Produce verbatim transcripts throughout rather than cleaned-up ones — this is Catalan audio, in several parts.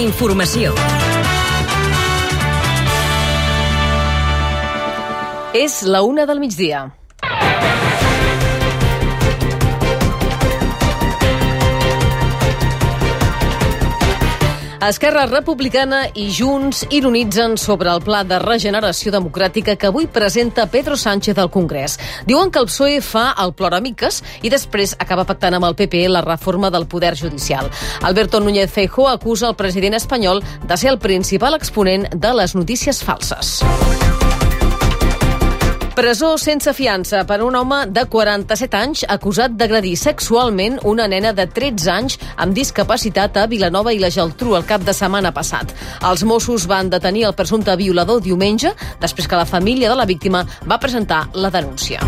Informació. És la una del migdia. Esquerra Republicana i Junts ironitzen sobre el pla de regeneració democràtica que avui presenta Pedro Sánchez al Congrés. Diuen que el P S O E fa el ploramiques i després acaba pactant amb el P P la reforma del poder judicial. Alberto Núñez Feijóo acusa el president espanyol de ser el principal exponent de les notícies falses. Presó sense fiança per a un home de quaranta-set anys acusat d'agredir sexualment una nena de tretze anys amb discapacitat a Vilanova i la Geltrú el cap de setmana passat. Els Mossos van detenir el presumpte violador diumenge, després que la família de la víctima va presentar la denúncia.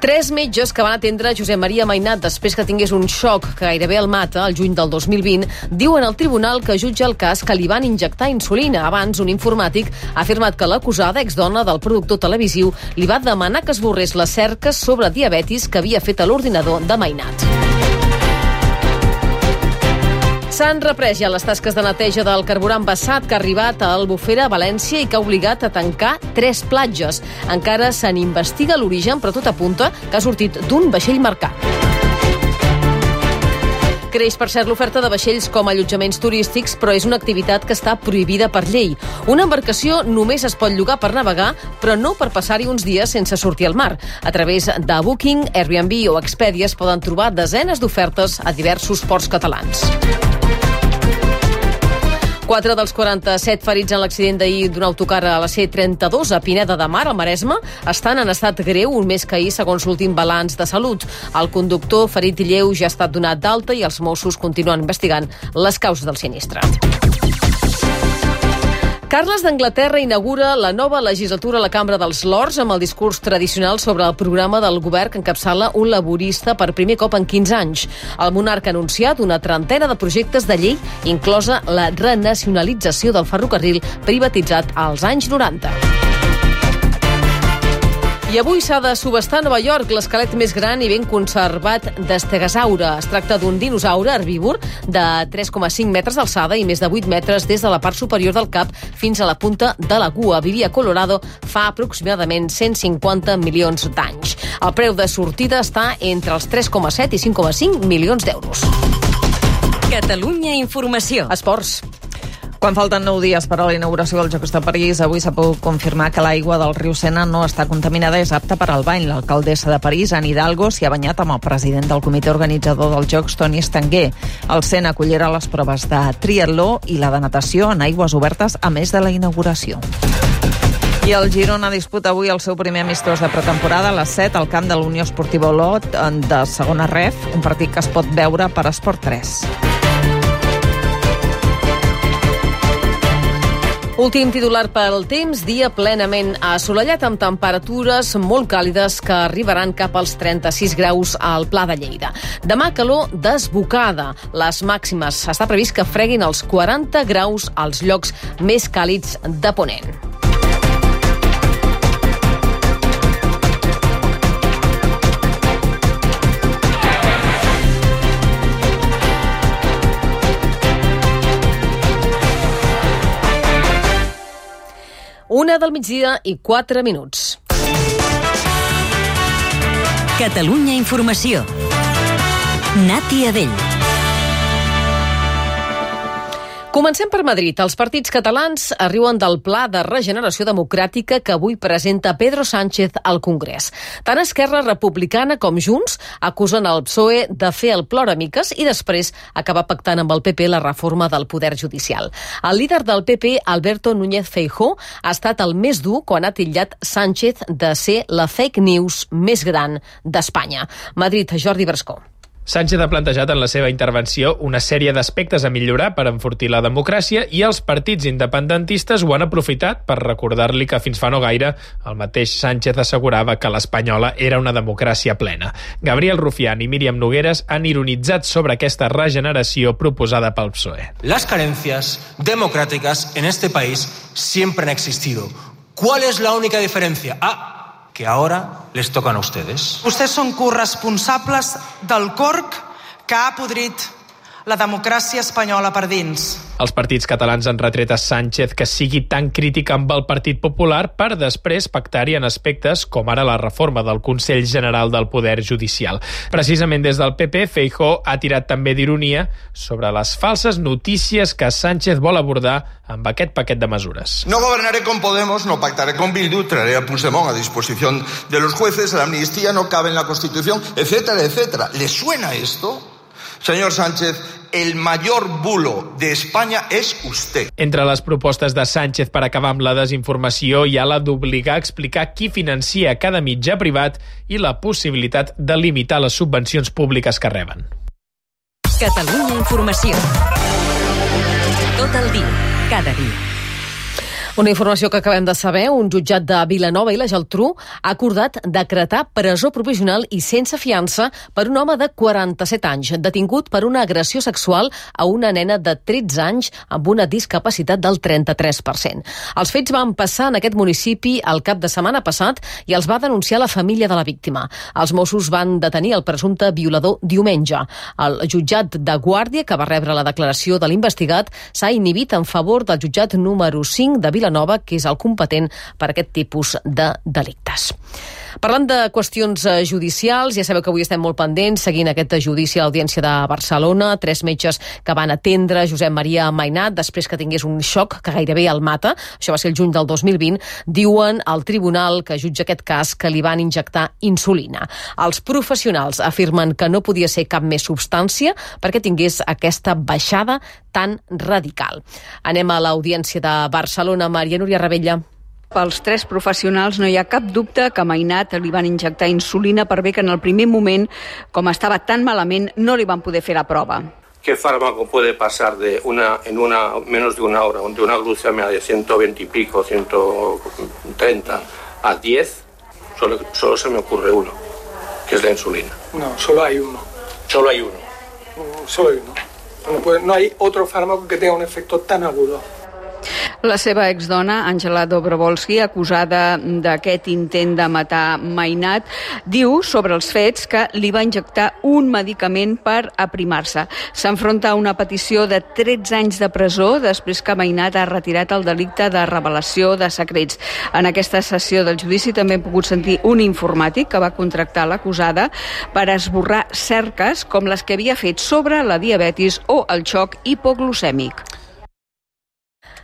Tres metges que van atendre Josep Maria Mainat després que tingués un xoc que gairebé el mata el juny del dos mil vint, diuen al tribunal que jutja el cas que li van injectar insulina. Abans, un informàtic ha afirmat que l'acusada, exdona del productor televisiu, li va demanar que esborrés les cerques sobre diabetis que havia fet a l'ordinador de Mainat. S'han reprès ja les tasques de neteja del carburant vessat que ha arribat a Albufera, a València, i que ha obligat a tancar tres platges. Encara se n'investiga l'origen, però tot apunta que ha sortit d'un vaixell marcat. Creix, per cert, l'oferta de vaixells com a allotjaments turístics, però és una activitat que està prohibida per llei. Una embarcació només es pot llogar per navegar, però no per passar-hi uns dies sense sortir al mar. A través de Booking, Airbnb o Expedia es poden trobar desenes d'ofertes a diversos ports catalans. Quatre dels quaranta-set ferits en l'accident d'ahir d'un autocar a la C trenta-dos a Pineda de Mar, al Maresme, estan en estat greu, un mes que ahir, segons l'últim balanç de salut. El conductor, ferit lleu, ja ha estat donat d'alta i els Mossos continuen investigant les causes del sinistre. Carles d'Anglaterra inaugura la nova legislatura a la Cambra dels Lords amb el discurs tradicional sobre el programa del govern que encapçala un laborista per primer cop en quinze anys. El monarca ha anunciat una trentena de projectes de llei, inclosa la renacionalització del ferrocarril privatitzat als anys noranta. I avui s'ha de subestar a Nova York l'esquelet més gran i ben conservat d'estegosaure. Es tracta d'un dinosaure herbívor de tres coma cinc metres d'alçada i més de vuit metres des de la part superior del cap fins a la punta de la cua. Vivia a Colorado fa aproximadament cent cinquanta milions d'anys. El preu de sortida està entre els tres coma set i cinc coma cinc milions d'euros. Catalunya Informació. Esports. Quan falten nou dies per a la inauguració dels Jocs de París, avui s'ha pogut confirmar que l'aigua del riu Sena no està contaminada i és apta per al bany. L'alcaldessa de París, Anne Hidalgo, s'hi ha banyat amb el president del comitè organitzador dels Jocs, Toni Estanguer. El Sena acollirà les proves de triatló i la de natació en aigües obertes, a més de la inauguració. I el Girona disputa avui el seu primer amistós de pretemporada a les set al camp de l'Unió Esportiva Olot de segona ref, un partit que es pot veure per Esport tres. Últim titular pel temps, dia plenament assolellat amb temperatures molt càlides que arribaran cap als trenta-sis graus al Pla de Lleida. Demà calor desbocada. Les màximes està previst que freguin els quaranta graus als llocs més càlids de Ponent. Una del migdia i quatre minuts. Catalunya Informació. Nati Adell. Comencem per Madrid. Els partits catalans arriben del Pla de Regeneració Democràtica que avui presenta Pedro Sánchez al Congrés. Tant Esquerra Republicana com Junts acusen el P S O E de fer el ploramiques i després acabar pactant amb el P P la reforma del poder judicial. El líder del P P, Alberto Núñez Feijóo, ha estat el més dur quan ha titllat Sánchez de ser la fake news més gran d'Espanya. Madrid, Jordi Brascó. Sánchez ha plantejat en la seva intervenció una sèrie d'aspectes a millorar per enfortir la democràcia i els partits independentistes ho han aprofitat per recordar-li que fins fa no gaire el mateix Sánchez assegurava que l'espanyola era una democràcia plena. Gabriel Rufián i Míriam Nogueras han ironitzat sobre aquesta regeneració proposada pel P S O E. Las carencias democráticas en este país siempre han existido. ¿Cuál es la única diferencia? Ah, que ahora les tocan a ustedes. Vostès són corresponsables del corc que ha podrit la democràcia espanyola per dins. Els partits catalans han retret a Sánchez que sigui tan crític amb el Partit Popular per després pactar-hi en aspectes com ara la reforma del Consell General del Poder Judicial. Precisament des del P P, Feijóo ha tirat també d'ironia sobre les falses notícies que Sánchez vol abordar amb aquest paquet de mesures. No gobernaré con Podemos, no pactaré con Bildu, traeré a Puigdemont a disposición de los jueces, la amnistía no cabe en la Constitución, etcétera, etcétera. ¿Le suena esto? Señor Sánchez, el mayor bulo de España es usted. Entre les propostes de Sánchez per acabar amb la desinformació hi ha la d'obligar a explicar qui financia cada mitjà privat i la possibilitat de limitar les subvencions públiques que reben. Catalunya Informació. Tot el dia, cada dia. Una informació que acabem de saber, un jutjat de Vilanova i la Geltrú ha acordat decretar presó provisional i sense fiança per un home de quaranta-set anys, detingut per una agressió sexual a una nena de tretze anys amb una discapacitat del trenta-tres per cent. Els fets van passar en aquest municipi el cap de setmana passat i els va denunciar la família de la víctima. Els Mossos van detenir el presumpte violador diumenge. El jutjat de Guàrdia, que va rebre la declaració de l'investigat, s'ha inhibit en favor del jutjat número cinc de Vilanova, que és el competent per aquest tipus de delictes. Parlant de qüestions judicials, ja sabeu que avui estem molt pendents seguint aquest judici a l'Audiència de Barcelona. Tres metges que van atendre Josep Maria Mainat després que tingués un xoc que gairebé el mata, això va ser el juny del dos mil vint, diuen al tribunal que jutja aquest cas que li van injectar insulina. Els professionals afirmen que no podia ser cap més substància perquè tingués aquesta baixada tan radical. Anem a l'Audiència de Barcelona. Maria Núria Ravella. Pels tres professionals no hi ha cap dubte que a Mainat li van injectar insulina per bé que en el primer moment, com estava tan malament, no li van poder fer la prova. ¿Qué fármaco puede pasar de una en una menos de una hora, de una glucemia de ciento veinte y pico, ciento treinta a diez? Solo, solo se me ocurre uno, que es la insulina. No, solo hay uno. Solo hay uno. Solo hay uno. No, puede, no hay otro fármaco que tenga un efecto tan agudo. La seva exdona, Àngela Dobrovolsky, acusada d'aquest intent de matar Mainat, diu sobre els fets que li va injectar un medicament per aprimar-se. S'enfronta a una petició de tretze anys de presó després que Mainat ha retirat el delicte de revelació de secrets. En aquesta sessió del judici també hem pogut sentir un informàtic que va contractar l'acusada per esborrar cerques com les que havia fet sobre la diabetis o el xoc hipoglucèmic.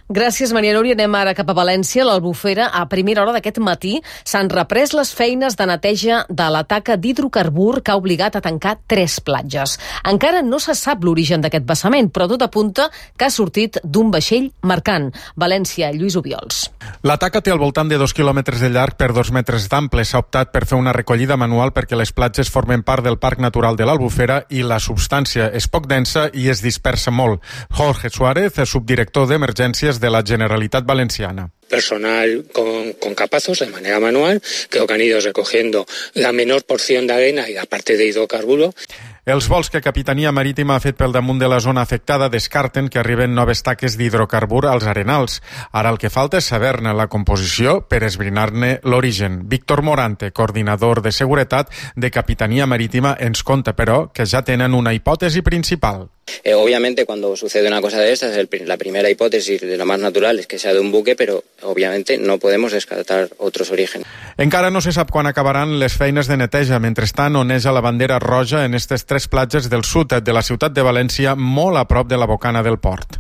Gràcies, Maria Núria. Anem ara cap a València. L'Albufera, a primera hora d'aquest matí, s'han reprès les feines de neteja de la taca d'hidrocarbur que ha obligat a tancar tres platges. Encara no se sap l'origen d'aquest vessament, però tot apunta que ha sortit d'un vaixell mercant. València, Lluís Obiols. La taca té al voltant de dos quilòmetres de llarg per dos metres d'ample. S'ha optat per fer una recollida manual perquè les platges formen part del Parc Natural de l'Albufera i la substància és poc densa i es dispersa molt. Jorge Suárez, subdirector d'Emergències de la Generalitat Valenciana. Personal con, con capazos de manera manual, creo que han ido recogiendo la menor porción de arena y la parte de hidrocarburo. Els vols que Capitania Marítima ha fet pel damunt de la zona afectada descarten que arriben noves taques d'hidrocarbur als arenals. Ara el que falta és saber-ne la composició per esbrinar-ne l'origen. Víctor Morante, coordinador de seguretat de Capitania Marítima, ens conta, però, que ja tenen una hipòtesi principal. Eh, obviamente, cuando sucede una cosa de estas, el, la primera hipótesis de lo más natural es que sea de un buque, pero obviamente no podemos descartar otros orígenes. Encara no se sap quan acabaran les feines de neteja. Mentrestant, oneja la bandera roja en aquestes tres platges del sud de la ciutat de València, molt a prop de la bocana del port.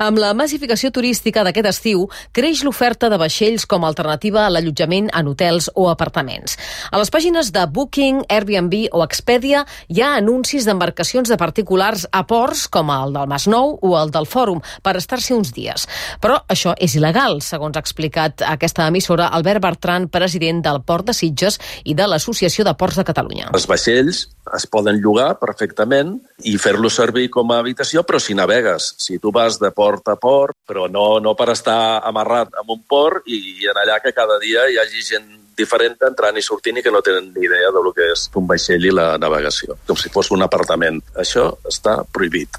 Amb la massificació turística d'aquest estiu, creix l'oferta de vaixells com a alternativa a l'allotjament en hotels o apartaments. A les pàgines de Booking, Airbnb o Expedia hi ha anuncis d'embarcacions de particulars a ports com el del Masnou o el del Fòrum per estar-s'hi uns dies. Però això és il·legal, segons ha explicat aquesta emissora Albert Bertran, president del Port de Sitges i de l'Associació de Ports de Catalunya. Els vaixells es poden llogar perfectament i fer-los servir com a habitació, però si navegues, si tu vas de port a port, però no, no per estar amarrat en un port i en allà que cada dia hi hagi gent diferent entrant i sortint i que no tenen ni idea del que és un vaixell i la navegació, com si fos un apartament. Això està prohibit.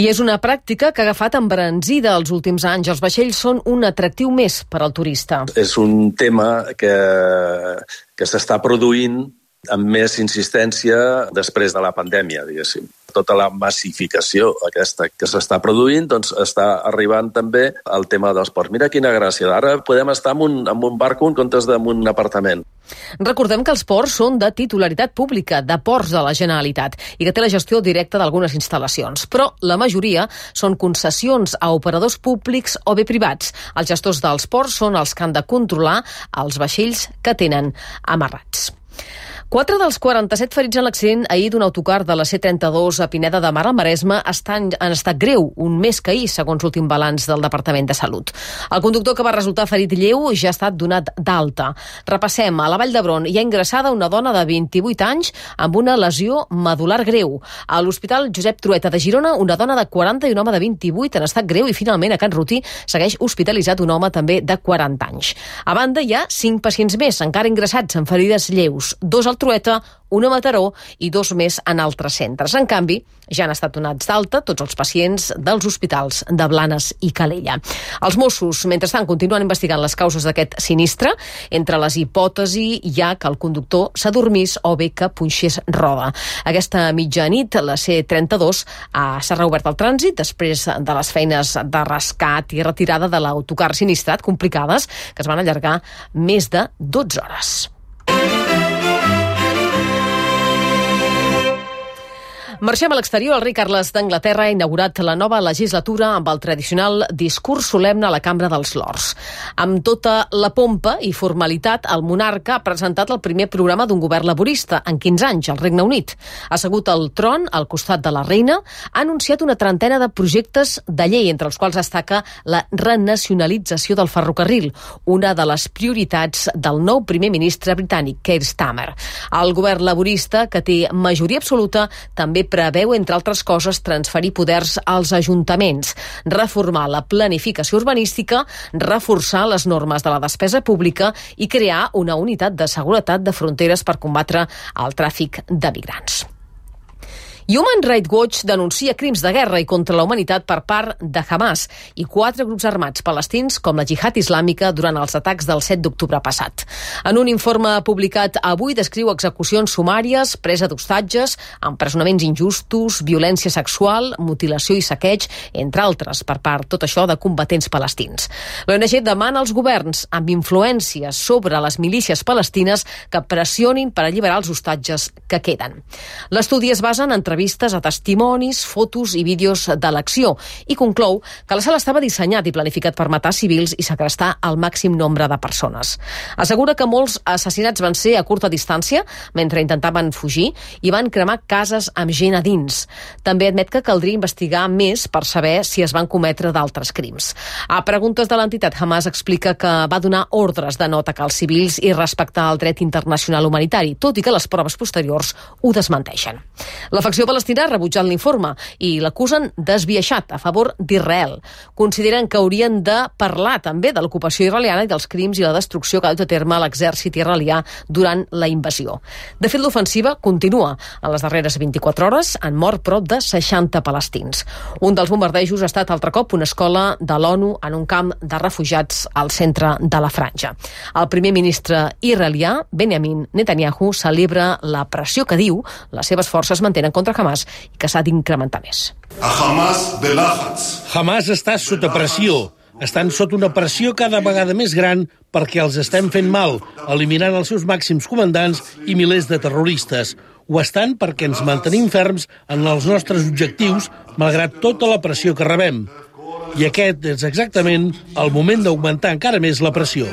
I és una pràctica que ha agafat embranzida els últims anys. Els vaixells són un atractiu més per al turista. És un tema que, que s'està produint amb més insistència després de la pandèmia, diguéssim. tota la massificació aquesta que s'està produint, doncs està arribant també al tema dels ports. Mira quina gràcia, ara podem estar en un, en un barco en comptes d'en un apartament. Recordem que els ports són de titularitat pública, de Ports de la Generalitat, i que té la gestió directa d'algunes instal·lacions. Però la majoria són concessions a operadors públics o bé privats. Els gestors dels ports són els que han de controlar els vaixells que tenen amarrats. Quatre dels quaranta-set ferits en l'accident ahir d'un autocar de la C trenta-dos a Pineda de Mar al Maresme estan en estat greu, un més que ahir, segons l'últim balanç del Departament de Salut. El conductor, que va resultar ferit lleu, ja ha estat donat d'alta. Repassem. A la Vall d'Hebron hi ha ingressada una dona de vint-i-vuit anys amb una lesió medular greu. A l'Hospital Josep Trueta de Girona, una dona de quaranta i un home de vint-i-vuit en estat greu, i finalment a Can Rutí segueix hospitalitzat un home també de quaranta anys. A banda, hi ha cinc pacients més, encara ingressats amb ferides lleus. Dos al Trueta, una a Mataró i dos més en altres centres. En canvi, ja han estat donats d'alta tots els pacients dels hospitals de Blanes i Calella. Els Mossos, mentrestant, continuen investigant les causes d'aquest sinistre. Entre les hipòtesis hi ha que el conductor s'adormís o bé que punxés roda. Aquesta mitjanit, la C trenta-dos s'ha reobert el trànsit després de les feines de rescat i retirada de l'autocar sinistrat complicades, que es van allargar més de dotze hores. Marxem a l'exterior. El rei Carles d'Anglaterra ha inaugurat la nova legislatura amb el tradicional discurs solemne a la Cambra dels Lords. Amb tota la pompa i formalitat, el monarca ha presentat el primer programa d'un govern laborista en quinze anys al Regne Unit. Assegut al tron, al costat de la reina, ha anunciat una trentena de projectes de llei, entre els quals destaca la renacionalització del ferrocarril, una de les prioritats del nou primer ministre britànic, Keir Starmer. El govern laborista, que té majoria absoluta, també preveu, entre altres coses, transferir poders als ajuntaments, reformar la planificació urbanística, reforçar les normes de la despesa pública i crear una unitat de seguretat de fronteres per combatre el tràfic de migrants. Human Rights Watch denuncia crims de guerra i contra la humanitat per part de Hamas i quatre grups armats palestins com la Jihad Islàmica durant els atacs del set d'octubre passat. En un informe publicat avui descriu execucions sumàries, presa d'hostatges, empresonaments injustos, violència sexual, mutilació i saqueig, entre altres, per part, tot això, de combatents palestins. L'O N G demana als governs amb influència sobre les milícies palestines que pressionin per alliberar els hostatges que queden. L'estudi es basa en entrevistes vistes a testimonis, fotos i vídeos de l'acció i conclou que la sala estava dissenyat i planificat per matar civils i segrestar el màxim nombre de persones. Assegura que molts assassinats van ser a curta distància mentre intentaven fugir i van cremar cases amb gent a dins. També admet que caldria investigar més per saber si es van cometre d'altres crims. A preguntes de l'entitat, Hamas explica que va donar ordres de no atacar els civils i respectar el dret internacional humanitari, tot i que les proves posteriors ho desmenteixen. La facció palestina ha rebutjat l'informe i l'acusen d'esbiaixat a favor d'Israel. Consideren que haurien de parlar també de l'ocupació israeliana i dels crims i la destrucció que ha dut a terme l'exèrcit israelià durant la invasió. De fet, l'ofensiva continua. En les darreres vint-i-quatre hores han mort prop de seixanta palestins. Un dels bombardejos ha estat altre cop una escola de l'ONU en un camp de refugiats al centre de la Franja. El primer ministre israelià, Benjamin Netanyahu, celebra la pressió que diu les seves forces mantenen contra Hamas i que s'ha d'incrementar més. Hamas està sota pressió. Estan sota una pressió cada vegada més gran perquè els estem fent mal, eliminant els seus màxims comandants i milers de terroristes. Ho estan perquè ens mantenim ferms en els nostres objectius, malgrat tota la pressió que rebem. I aquest és exactament el moment d'augmentar encara més la pressió.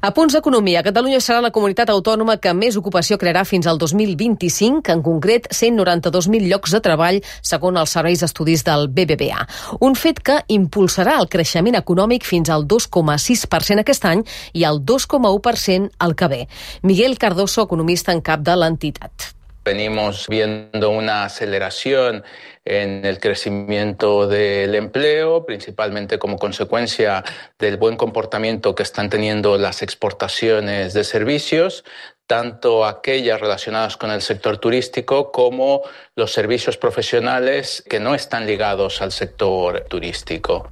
A punts d'economia, Catalunya serà la comunitat autònoma que més ocupació crearà fins al dos mil vint-i-cinc, en concret cent noranta-dos mil llocs de treball, segons els serveis d'estudis del B B V A. Un fet que impulsarà el creixement econòmic fins al dos coma sis per cent aquest any i al dos coma u per cent el que ve. Miguel Cardoso, economista en cap de l'entitat. Venimos viendo una aceleración en el crecimiento del empleo, principalmente como consecuencia del buen comportamiento que están teniendo las exportaciones de servicios, tanto aquellas relacionadas con el sector turístico como los servicios profesionales que no están ligados al sector turístico.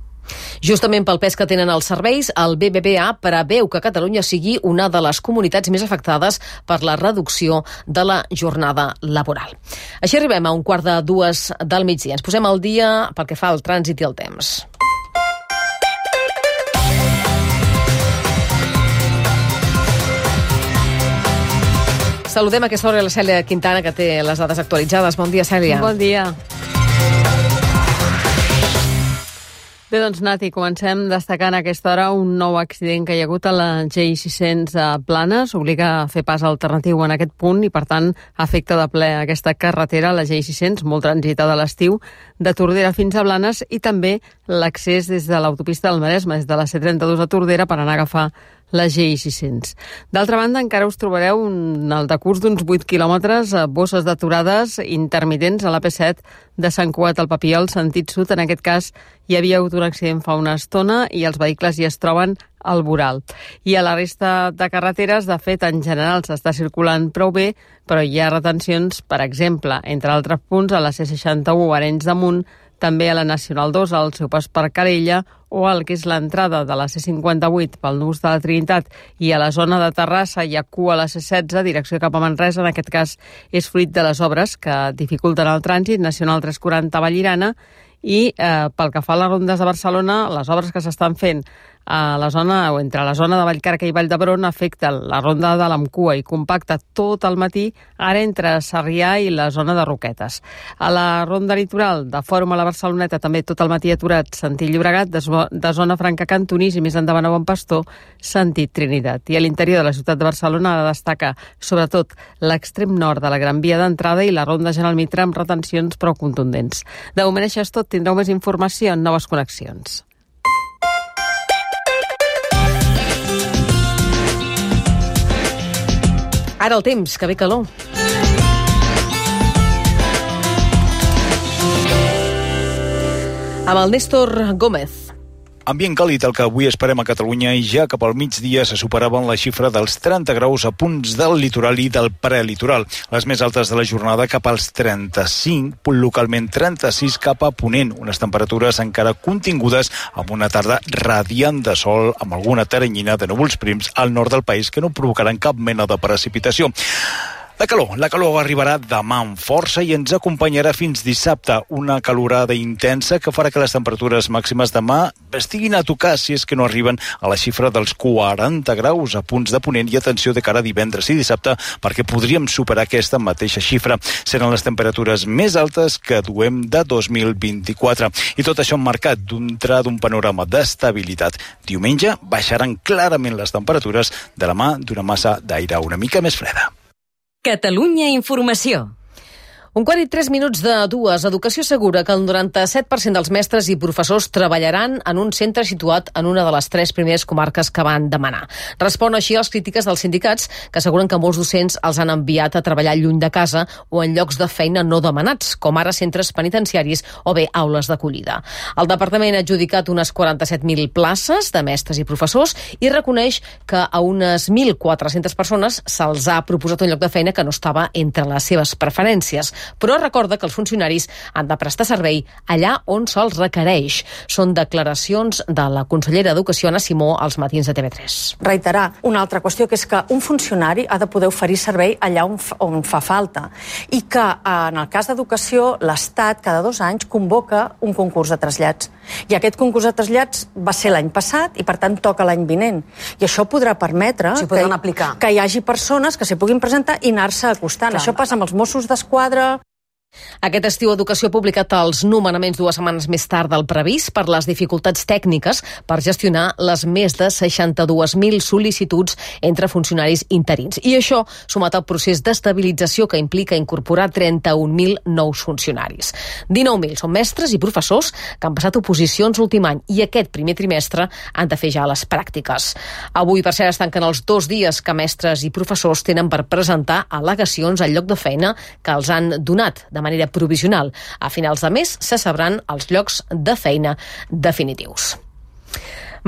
Justament pel pes que tenen els serveis, el B B V A preveu que Catalunya sigui una de les comunitats més afectades per la reducció de la jornada laboral. Així arribem a un quart de dues del migdia. Ens posem al dia pel que fa al trànsit i el temps. Saludem a aquesta hora la Cèlia Quintana, que té les dades actualitzades. Bon dia, Cèlia. Bon dia. Bé, doncs, Nati, comencem destacant a aquesta hora un nou accident que hi ha hagut a la G I sis cents a Planes. Obliga a fer pas alternatiu en aquest punt i, per tant, afecta de ple aquesta carretera, la G I sis cents, molt transitada a l'estiu, de Tordera fins a Blanes, i també l'accés des de l'autopista del Maresme, des de la C trenta-dos a Tordera, per anar a agafar la G I sis cents. D'altra banda, encara us trobareu en el decurs d'uns vuit quilòmetres, bosses d'aturades intermitents a l'A P set de Sant Cugat al Papiol, sentit sud. En aquest cas, hi havia hagut un accident fa una estona i els vehicles hi es troben al voral. I a la resta de carreteres, de fet, en general s'està circulant prou bé, però hi ha retencions, per exemple, entre altres punts, a la C seixanta-u Arenys de Munt, també a la Nacional dos, al seu pas per Calella, o al que és l'entrada de la C cinquanta-vuit pel nus de la Trinitat, i a la zona de Terrassa hi ha cua a la C setze, direcció cap a Manresa. En aquest cas és fruit de les obres que dificulten el trànsit, Nacional tres quaranta Vallirana, i eh, pel que fa a les rondes de Barcelona, les obres que s'estan fent a la zona, o entre la zona de Vallcarca i Vall d'Hebron, afecten la ronda de l'Amcua i compacta tot el matí, ara entre Sarrià i la zona de Roquetes. A la ronda litoral de Fòrum a la Barceloneta també tot el matí aturat, sentit Llobregat, de, de zona Franca Cantonís i més endavant a Bon Pastor, sentit Trinitat. I a l'interior de la ciutat de Barcelona destaca sobretot l'extrem nord de la Gran Via d'entrada i la ronda General Mitra amb retencions prou contundents. De moment això és tot. Tindreu més informació en noves connexions. Ara el temps, que ve calor. Amb el Néstor Gómez. Ambient càlid el que avui esperem a Catalunya, i ja cap al migdia se superaven la xifra dels trenta graus a punts del litoral i del prelitoral. Les més altes de la jornada cap als trenta-cinc, localment trenta-sis cap a Ponent. Unes temperatures encara contingudes amb una tarda radiant de sol, amb alguna teranyina de núvols prims al nord del país que no provocaran cap mena de precipitació. La calor, la calor arribarà demà amb força i ens acompanyarà fins dissabte. Una calorada intensa que farà que les temperatures màximes demà estiguin a tocar, si és que no arriben a la xifra dels quaranta graus a punts de Ponent, i atenció de cara a divendres i dissabte, perquè podríem superar aquesta mateixa xifra. Seran les temperatures més altes que duem de dos mil vint-i-quatre. I tot això emmarcat dintre d'un panorama d'estabilitat. Diumenge baixaran clarament les temperatures de la mà d'una massa d'aire una mica més freda. Catalunya Informació. Un quart i tres minuts de dues. Educació assegura que el noranta-set per cent dels mestres i professors treballaran en un centre situat en una de les tres primeres comarques que van demanar. Respon així a les crítiques dels sindicats, que asseguren que molts docents els han enviat a treballar lluny de casa o en llocs de feina no demanats, com ara centres penitenciaris o bé aules d'acollida. El departament ha adjudicat unes quaranta-set mil places de mestres i professors i reconeix que a unes mil quatre-centes persones se'ls ha proposat un lloc de feina que no estava entre les seves preferències. Però recorda que els funcionaris han de prestar servei allà on se'ls requereix. Són declaracions de la consellera d'Educació, Anna Simó, als matins de T V tres. Reiterar una altra qüestió, que és que un funcionari ha de poder oferir servei allà on, on fa falta, i que en el cas d'Educació l'Estat cada dos anys convoca un concurs de trasllats. I aquest concurs de trasllats va ser l'any passat i per tant toca l'any vinent. I això podrà permetre sí, que, aplicar. que hi hagi persones que s'hi puguin presentar i anar-se acostant. Clar. Això passa amb els Mossos d'Esquadra. Aquest estiu Educació ha publicat els nomenaments dues setmanes més tard del previst per les dificultats tècniques per gestionar les més de seixanta-dues mil sol·licituds entre funcionaris interins. I això sumat al procés d'estabilització que implica incorporar trenta-un mil nous funcionaris. dinou mil són mestres i professors que han passat oposicions l'últim any i aquest primer trimestre han de fer ja les pràctiques. Avui, per cert, es tanquen els dos dies que mestres i professors tenen per presentar al·legacions al lloc de feina que els han donat de manera provisional. A finals de mes se sabran els llocs de feina definitius.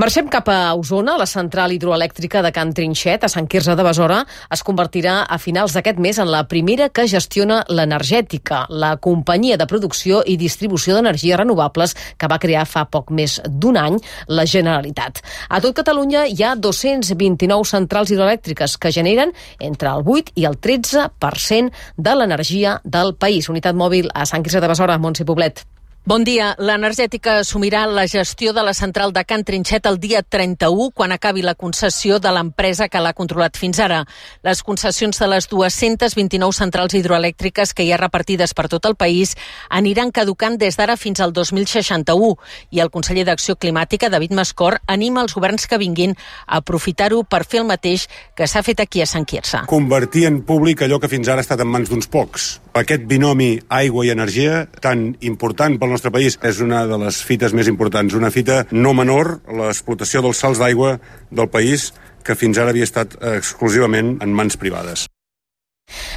Marxem cap a Osona. La central hidroelèctrica de Can Trinxet, a Sant Quirze de Besora, es convertirà a finals d'aquest mes en la primera que gestiona l'Energètica, la companyia de producció i distribució d'energies renovables que va crear fa poc més d'un any la Generalitat. A tot Catalunya hi ha dos-cents vint-i-nou centrals hidroelèctriques que generen entre el vuit i el tretze per cent de l'energia del país. Unitat mòbil a Sant Quirze de Besora, Montse Poblet. Bon dia. L'Energètica assumirà la gestió de la central de Can Trinxet el dia trenta-u, quan acabi la concessió de l'empresa que l'ha controlat fins ara. Les concessions de les dues-centes vint-i-nou centrals hidroelèctriques que hi ha repartides per tot el país aniran caducant des d'ara fins al dos mil seixanta-u, i el conseller d'Acció Climàtica, David Mascor, anima els governs que vinguin a aprofitar-ho per fer el mateix que s'ha fet aquí a Sant Quirze. Convertir en públic allò que fins ara ha estat en mans d'uns pocs. Aquest binomi aigua i energia, tan important pel nostre país, és una de les fites més importants, una fita no menor, l'explotació dels salts d'aigua del país, que fins ara havia estat exclusivament en mans privades.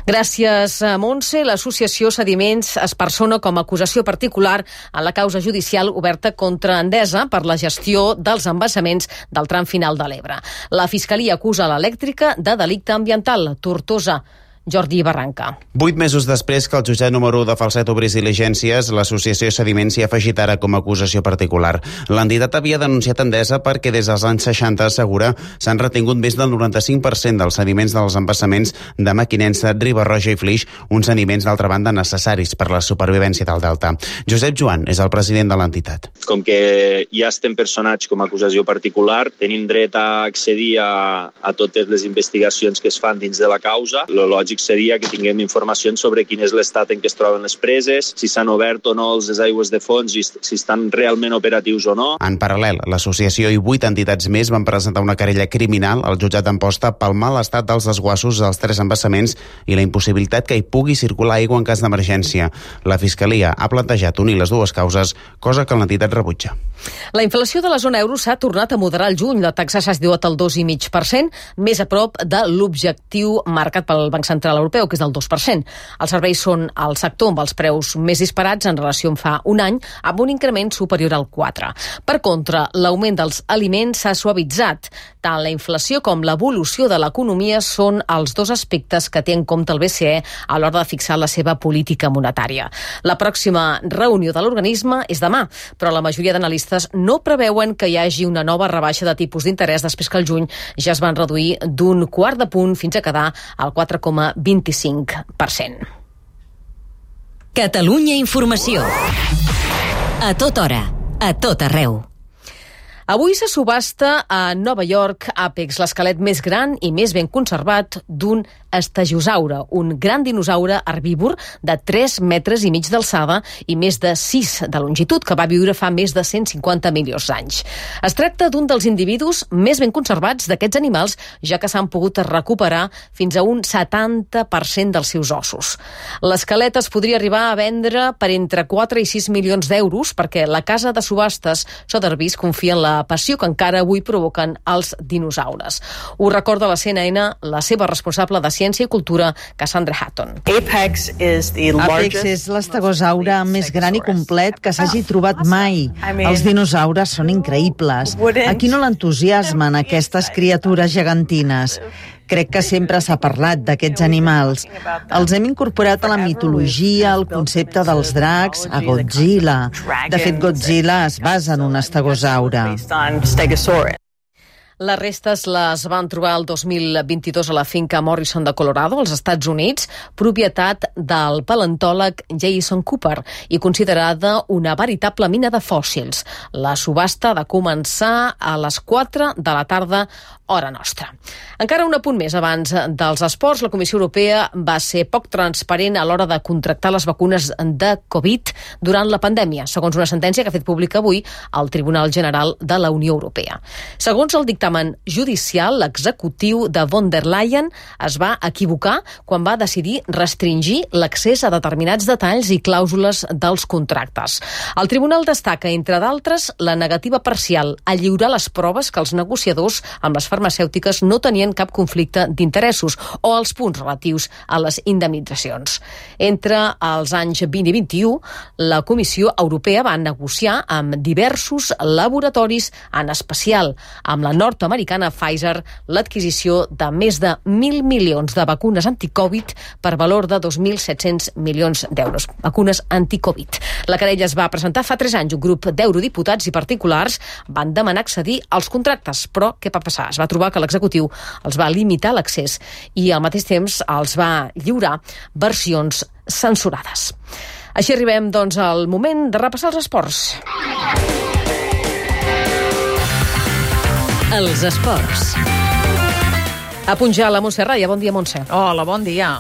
Gràcies, Montse. L'associació Sediments es persona com a acusació particular en la causa judicial oberta contra Endesa per la gestió dels embassaments del tram final de l'Ebre. La Fiscalia acusa l'elèctrica de delicte ambiental. Tortosa. Jordi Barranca. Vuit mesos després que el jutjat número u de Falset obrís diligències, l'associació Sediments s'hi ha afegit ara com a acusació particular. L'entitat havia denunciat Endesa perquè des dels anys seixanta, assegura, s'han retingut més del noranta-cinc per cent dels sediments dels embassaments de Mequinensa, Riba-roja i Flix, uns sediments d'altra banda necessaris per la supervivència del delta. Josep Joan és el president de l'entitat. Com que ja estem personats com a acusació particular, tenim dret a accedir a, a totes les investigacions que es fan dins de la causa. Lo lògic seria que tinguem informacions sobre quin és l'estat en què es troben les preses, si s'han obert o no les aigües de fons i si estan realment operatius o no. En paral·lel, l'associació i vuit entitats més van presentar una querella criminal al jutjat d'Amposta pel mal estat dels desguassos dels tres embassaments i la impossibilitat que hi pugui circular aigua en cas d'emergència. La Fiscalia ha plantejat unir les dues causes, cosa que l'entitat rebutja. La inflació de la zona euro s'ha tornat a moderar al juny. La taxa s'ha situat al dos coma cinc per cent, més a prop de l'objectiu marcat pel Banc Central Europeu, que és del dos per cent. Els serveis són el sector amb els preus més disparats en relació amb fa un any, amb un increment superior al quatre. Per contra, l'augment dels aliments s'ha suavitzat. Tant la inflació com l'evolució de l'economia són els dos aspectes que té en compte el B C E a l'hora de fixar la seva política monetària. La pròxima reunió de l'organisme és demà, però la majoria d'analistes no preveuen que hi hagi una nova rebaixa de tipus d'interès després que al juny ja es van reduir d'un quart de punt fins a quedar al quatre coma vint-i-cinc per cent. Catalunya Informació. A tota hora, a tot arreu. Avui se subhasta a Nova York Apex, l'esquelet més gran i més ben conservat d'un estegosaure, un gran dinosaure herbívor de tres metres i mig d'alçada i més de sis de longitud, que va viure fa més de cent cinquanta milions d'anys. Es tracta d'un dels individus més ben conservats d'aquests animals, ja que s'han pogut recuperar fins a un setanta per cent dels seus ossos. L'esquelet es podria arribar a vendre per entre quatre i sis milions d'euros, perquè la casa de subhastes Sotheby's confia en la passió que encara avui provoquen els dinosaures. Ho recorda la C N N la seva responsable de Ciència i Cultura, Cassandra Hatton. Apex és l'estegosaure més gran i complet que s'hagi trobat mai. Els dinosaures són increïbles. A qui no l'entusiasmen aquestes criatures gegantines? Crec que sempre s'ha parlat d'aquests animals. Els hem incorporat a la mitologia, al concepte dels dracs, a Godzilla. De fet, Godzilla es basa en un estegosaure. Les restes les van trobar el dos mil vint-i-dos a la finca Morrison de Colorado, als Estats Units, propietat del paleontòleg Jason Cooper i considerada una veritable mina de fòssils. La subhasta ha de començar a les quatre de la tarda, hora nostra. Encara un apunt més abans dels esports, la Comissió Europea va ser poc transparent a l'hora de contractar les vacunes de Covid durant la pandèmia, segons una sentència que ha fet pública avui el Tribunal General de la Unió Europea. Segons el dictamen dictamen judicial, l'executiu de von der Leyen es va equivocar quan va decidir restringir l'accés a determinats detalls i clàusules dels contractes. El tribunal destaca, entre d'altres, la negativa parcial a lliurar les proves que els negociadors amb les farmacèutiques no tenien cap conflicte d'interessos o els punts relatius a les indemnitzacions. Entre els anys vint i vint-i-u, la Comissió Europea va negociar amb diversos laboratoris, en especial amb la nord-americana Pfizer, l'adquisició de més de mil milions de vacunes anticovid per valor de dos mil set-cents milions d'euros. Vacunes anticovid. La querella es va presentar fa tres anys. Un grup d'eurodiputats i particulars van demanar accedir als contractes, però què va passar? Es va trobar que l'executiu els va limitar l'accés i al mateix temps els va lliurar versions censurades. Així arribem, doncs, al moment de repassar els esports. Els esports. A punjar la Montse Raya. Bon dia, Montse. Hola, bon dia.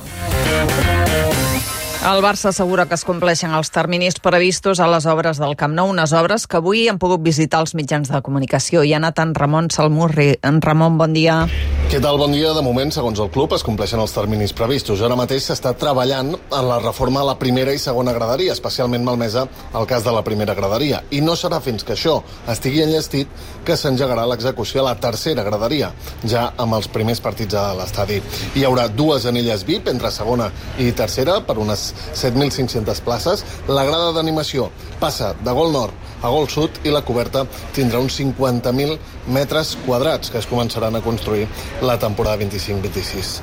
El Barça assegura que es compleixen els terminis previstos a les obres del Camp Nou, unes obres que avui han pogut visitar els mitjans de comunicació. Hi ha anat en Ramon Salmurri. En Ramon, bon dia. Què tal? Bon dia. De moment, segons el club, es compleixen els terminis previstos. Ara mateix s'està treballant en la reforma a la primera i segona graderia, especialment malmesa el cas de la primera graderia. I no serà fins que això estigui enllestit que s'engegarà l'execució a la tercera graderia, ja amb els primers partits a l'estadi. Hi haurà dues anelles V I P entre segona i tercera per unes set mil cinc-centes places. La grada d'animació passa de gol nord a gol sud i la coberta tindrà uns cinquanta mil metres quadrats que es començaran a construir la temporada vint-i-cinc vint-i-sis.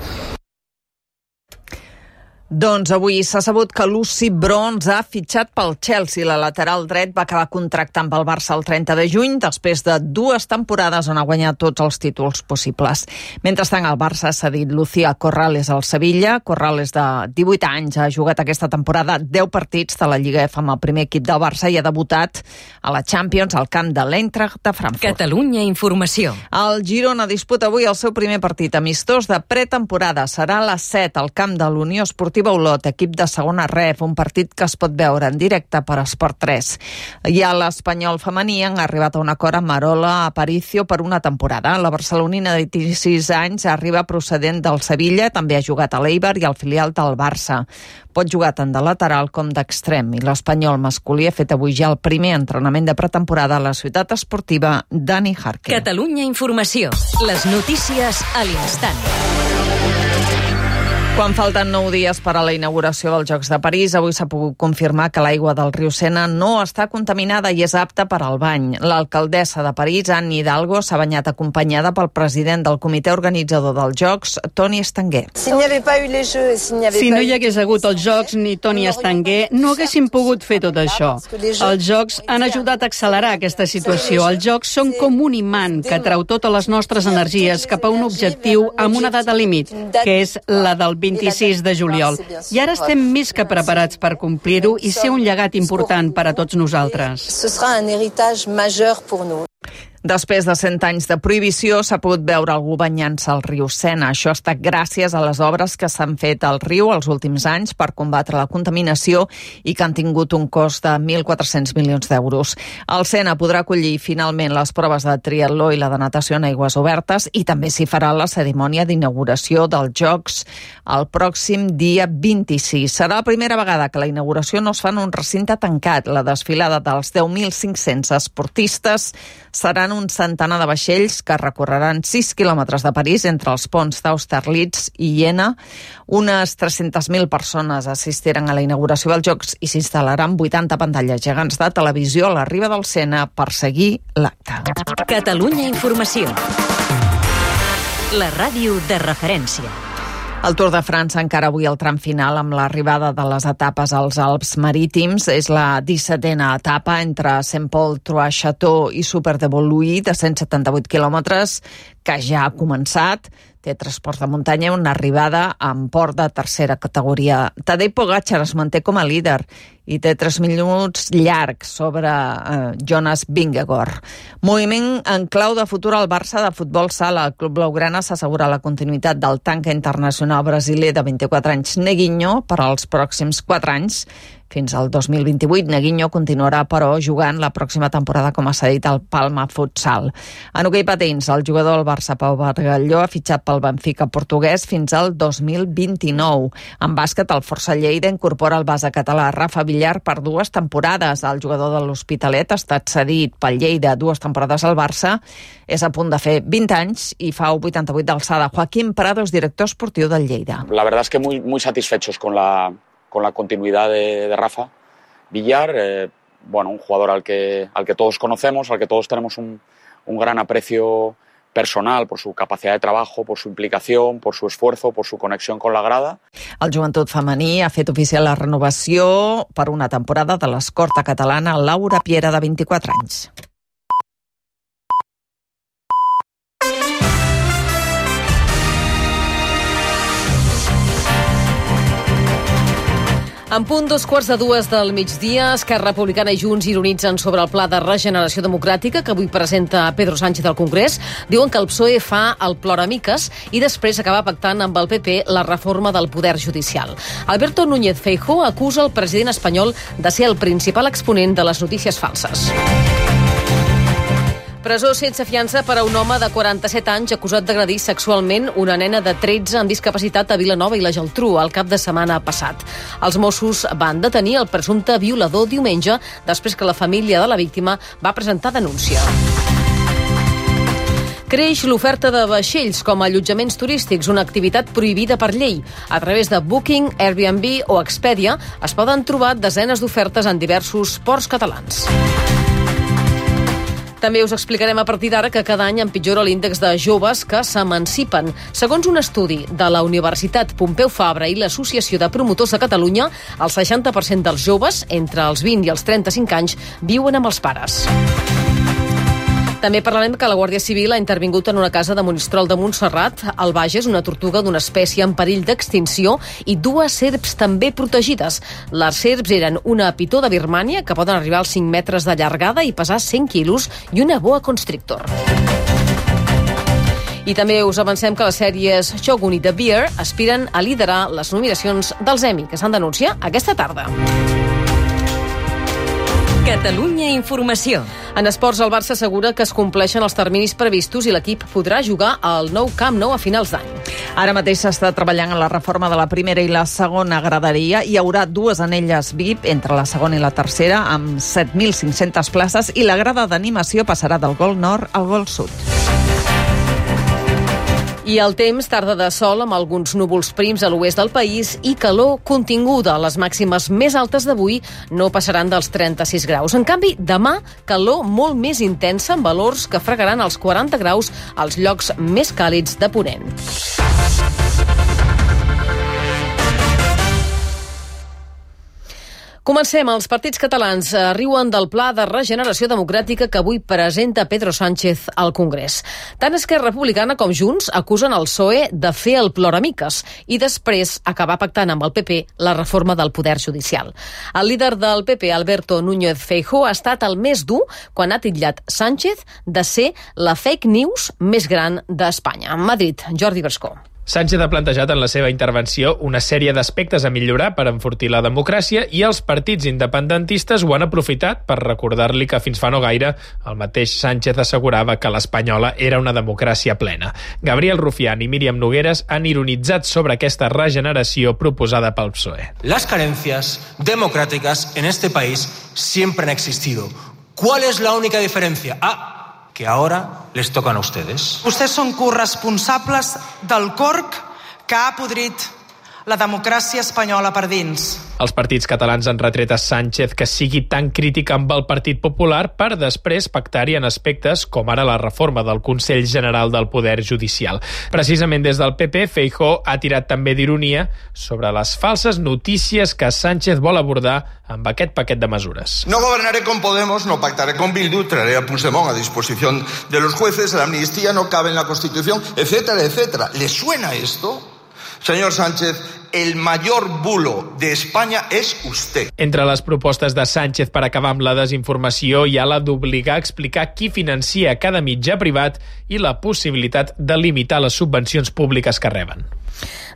Doncs avui s'ha sabut que Lucy Bronze ha fitxat pel Chelsea. La lateral dret va acabar contractant pel Barça el trenta de juny, després de dues temporades on ha guanyat tots els títols possibles. Mentrestant, el Barça ha cedit Lucía Corrales al Sevilla. Corrales, de divuit anys, ha jugat aquesta temporada deu partits de la Lliga F amb el primer equip del Barça i ha debutat a la Champions al camp de l'Eintracht de Frankfurt. Catalunya Informació. El Girona disputa avui el seu primer partit amistós de pretemporada. Serà a les set al camp de l'Unió Esportiva Olot, equip de segona ref, un partit que es pot veure en directe per Esport tres. I a l'Espanyol femení han arribat a un acord amb Marola Aparicio per una temporada. La barcelonina de vint-i-sis anys arriba procedent del Sevilla, també ha jugat a l'Eibar i al filial del Barça. Pot jugar tant de lateral com d'extrem i l'Espanyol masculí ha fet avui ja el primer entrenament de pretemporada a la ciutat esportiva Dani Jarque. Catalunya Informació. Les notícies a l'instant. Quan falten nou dies per a la inauguració dels Jocs de París, avui s'ha pogut confirmar que l'aigua del riu Sena no està contaminada i és apta per al bany. L'alcaldessa de París, Anne Hidalgo, s'ha banyat acompanyada pel president del comitè organitzador dels Jocs, Toni Estanguer. Si no hi hagués hagut els Jocs ni Toni Estanguer, no haguéssim pogut fer tot això. Els Jocs han ajudat a accelerar aquesta situació. Els Jocs són com un imant que treu totes les nostres energies cap a un objectiu amb una data límit, que és la del vint-i-sis de juliol. I ara estem més que preparats per complir-ho i ser un llegat important per a tots nosaltres. Ce sera un héritage majeur pour nous. Després de cent anys de prohibició, s'ha pogut veure algú banyant-se al riu Sena. Això ha estat gràcies a les obres que s'han fet al riu els últims anys per combatre la contaminació i que han tingut un cost de mil quatre-cents milions d'euros. El Sena podrà acollir finalment les proves de triatló i la de natació en aigües obertes i també s'hi farà la cerimònia d'inauguració dels Jocs el pròxim dia vint-i-sis. Serà la primera vegada que la inauguració no es fa en un recinte tancat. La desfilada dels deu mil cinc-cents esportistes seran un centenar de vaixells que recorreran sis quilòmetres de París entre els ponts d'Austerlitz i Iena. Unes tres-centes mil persones assistiran a la inauguració dels Jocs i s'instal·laran vuitanta pantalles gegants de televisió a la riba del Sena per seguir l'acte. Catalunya Informació. La ràdio de referència. El Tour de França encara avui el tram final amb l'arribada de les etapes als Alps Marítims. És la dissetena etapa entre Saint-Paul-Trois-Châteaux i Super de Voluí de cent setanta-vuit quilòmetres que ja ha començat. Té transport de muntanya, una arribada amb port de tercera categoria. Tadej Pogačar es manté com a líder i té tres minuts llargs sobre eh, Jonas Vingegaard. Moviment en clau de futur al Barça de futbol sala. El club blaugrana s'assegura la continuïtat del tanque internacional brasiler de vint-i-quatre anys Neguinho per als pròxims quatre anys. Fins al dos mil vint-i-vuit, Neguinho continuarà, però, jugant la pròxima temporada com a cedit al Palma Futsal. En hoquei patins, el jugador del Barça, Pau Bargalló, ha fitxat pel Benfica portuguès fins al dos mil vint-i-nou. En bàsquet, el Força Lleida incorpora el base català Rafa Villar per dues temporades. El jugador de l'Hospitalet ha estat cedit pel Lleida dues temporades al Barça. És a punt de fer vint anys i fa vuitanta-vuit d'alçada. Joaquín Prados, director esportiu del Lleida. La verdad es que muy, muy satisfechos con la... con la continuidad de, de Rafa Villar, eh, bueno, un jugador al que, al que todos conocemos, al que todos tenemos un, un gran aprecio personal por su capacidad de trabajo, por su implicación, por su esfuerzo, por su conexión con la grada. El joventut femení ha fet oficial la renovació per una temporada de l'escorta catalana Laura Piera, de vint-i-quatre anys. En punt dos quarts de dues del migdia, Esquerra Republicana i Junts ironitzen sobre el Pla de Regeneració Democràtica que avui presenta Pedro Sánchez al Congrés. Diuen que el P S O E fa el ploramiques i després acaba pactant amb el P P la reforma del poder judicial. Alberto Núñez Feijóo acusa el president espanyol de ser el principal exponent de les notícies falses. Presó sense fiança per a un home de quaranta-set anys acusat d'agredir sexualment una nena de tretze amb discapacitat a Vilanova i la Geltrú el cap de setmana passat. Els Mossos van detenir el presumpte violador diumenge després que la família de la víctima va presentar denúncia. Creix l'oferta de vaixells com a allotjaments turístics, una activitat prohibida per llei. A través de Booking, Airbnb o Expedia es poden trobar desenes d'ofertes en diversos ports catalans. També us explicarem a partir d'ara que cada any empitjora l'índex de joves que s'emancipen. Segons un estudi de la Universitat Pompeu Fabra i l'Associació de Promotors de Catalunya, el seixanta per cent dels joves, entre els vint i els trenta-cinc anys, viuen amb els pares. També parlarem que la Guàrdia Civil ha intervingut en una casa de Monistrol de Montserrat. Al Bages, una tortuga d'una espècie en perill d'extinció i dues serps també protegides. Les serps eren una pitó de Birmània, que poden arribar als cinc metres de llargada i pesar cent quilos, i una boa constrictor. I també us avancem que les sèries Shogun i The Bear aspiren a liderar les nominacions dels Emmy, que s'han d'anunciar aquesta tarda. Catalunya Informació. En esports, el Barça assegura que es compleixen els terminis previstos i l'equip podrà jugar al nou Camp Nou a finals d'any. Ara mateix s'està treballant en la reforma de la primera i la segona graderia. Hi haurà dues anelles V I P entre la segona i la tercera, amb set mil cinc-centes places, i la grada d'animació passarà del gol nord al gol sud. I el temps, tarda de sol amb alguns núvols prims a l'oest del país i calor continguda. Les màximes més altes d'avui no passaran dels trenta-sis graus. En canvi, demà, calor molt més intensa amb valors que fregaran els quaranta graus als llocs més càlids de Ponent. Comencem. Els partits catalans riuen del Pla de Regeneració Democràtica que avui presenta Pedro Sánchez al Congrés. Tant Esquerra Republicana com Junts acusen el P S O E de fer el ploramiques i després acabar pactant amb el P P la reforma del poder judicial. El líder del P P, Alberto Núñez Feijóo, ha estat el més dur quan ha titllat Sánchez de ser la fake news més gran d'Espanya. En Madrid, Jordi Brescó. Sánchez ha plantejat en la seva intervenció una sèrie d'aspectes a millorar per enfortir la democràcia i els partits independentistes ho han aprofitat per recordar-li que fins fa no gaire el mateix Sánchez assegurava que l'espanyola era una democràcia plena. Gabriel Rufián i Míriam Nogueras han ironitzat sobre aquesta regeneració proposada pel P S O E. Las carencias democráticas en este país siempre han existido. ¿Cuál es la única diferencia? Ah, que ahora les tocan a ustedes. Vostès són corresponsables del corc que ha podrit la democràcia espanyola per dins. Els partits catalans han retret a Sánchez que sigui tan crític amb el Partit Popular per després pactar-hi en aspectes com ara la reforma del Consell General del Poder Judicial. Precisament des del P P, Feijóo ha tirat també d'ironia sobre les falses notícies que Sánchez vol abordar amb aquest paquet de mesures. No gobernaré con Podemos, no pactaré con Bildu, traeré a Puigdemont a disposición de los jueces, la amnistía no cabe en la Constitución, etcétera, etcétera. ¿Le suena esto? Señor Sánchez, el mayor bulo de España es usted. Entre les propostes de Sánchez per acabar amb la desinformació hi ha la d'obligar a explicar qui financia cada mitjà privat i la possibilitat de limitar les subvencions públiques que reben.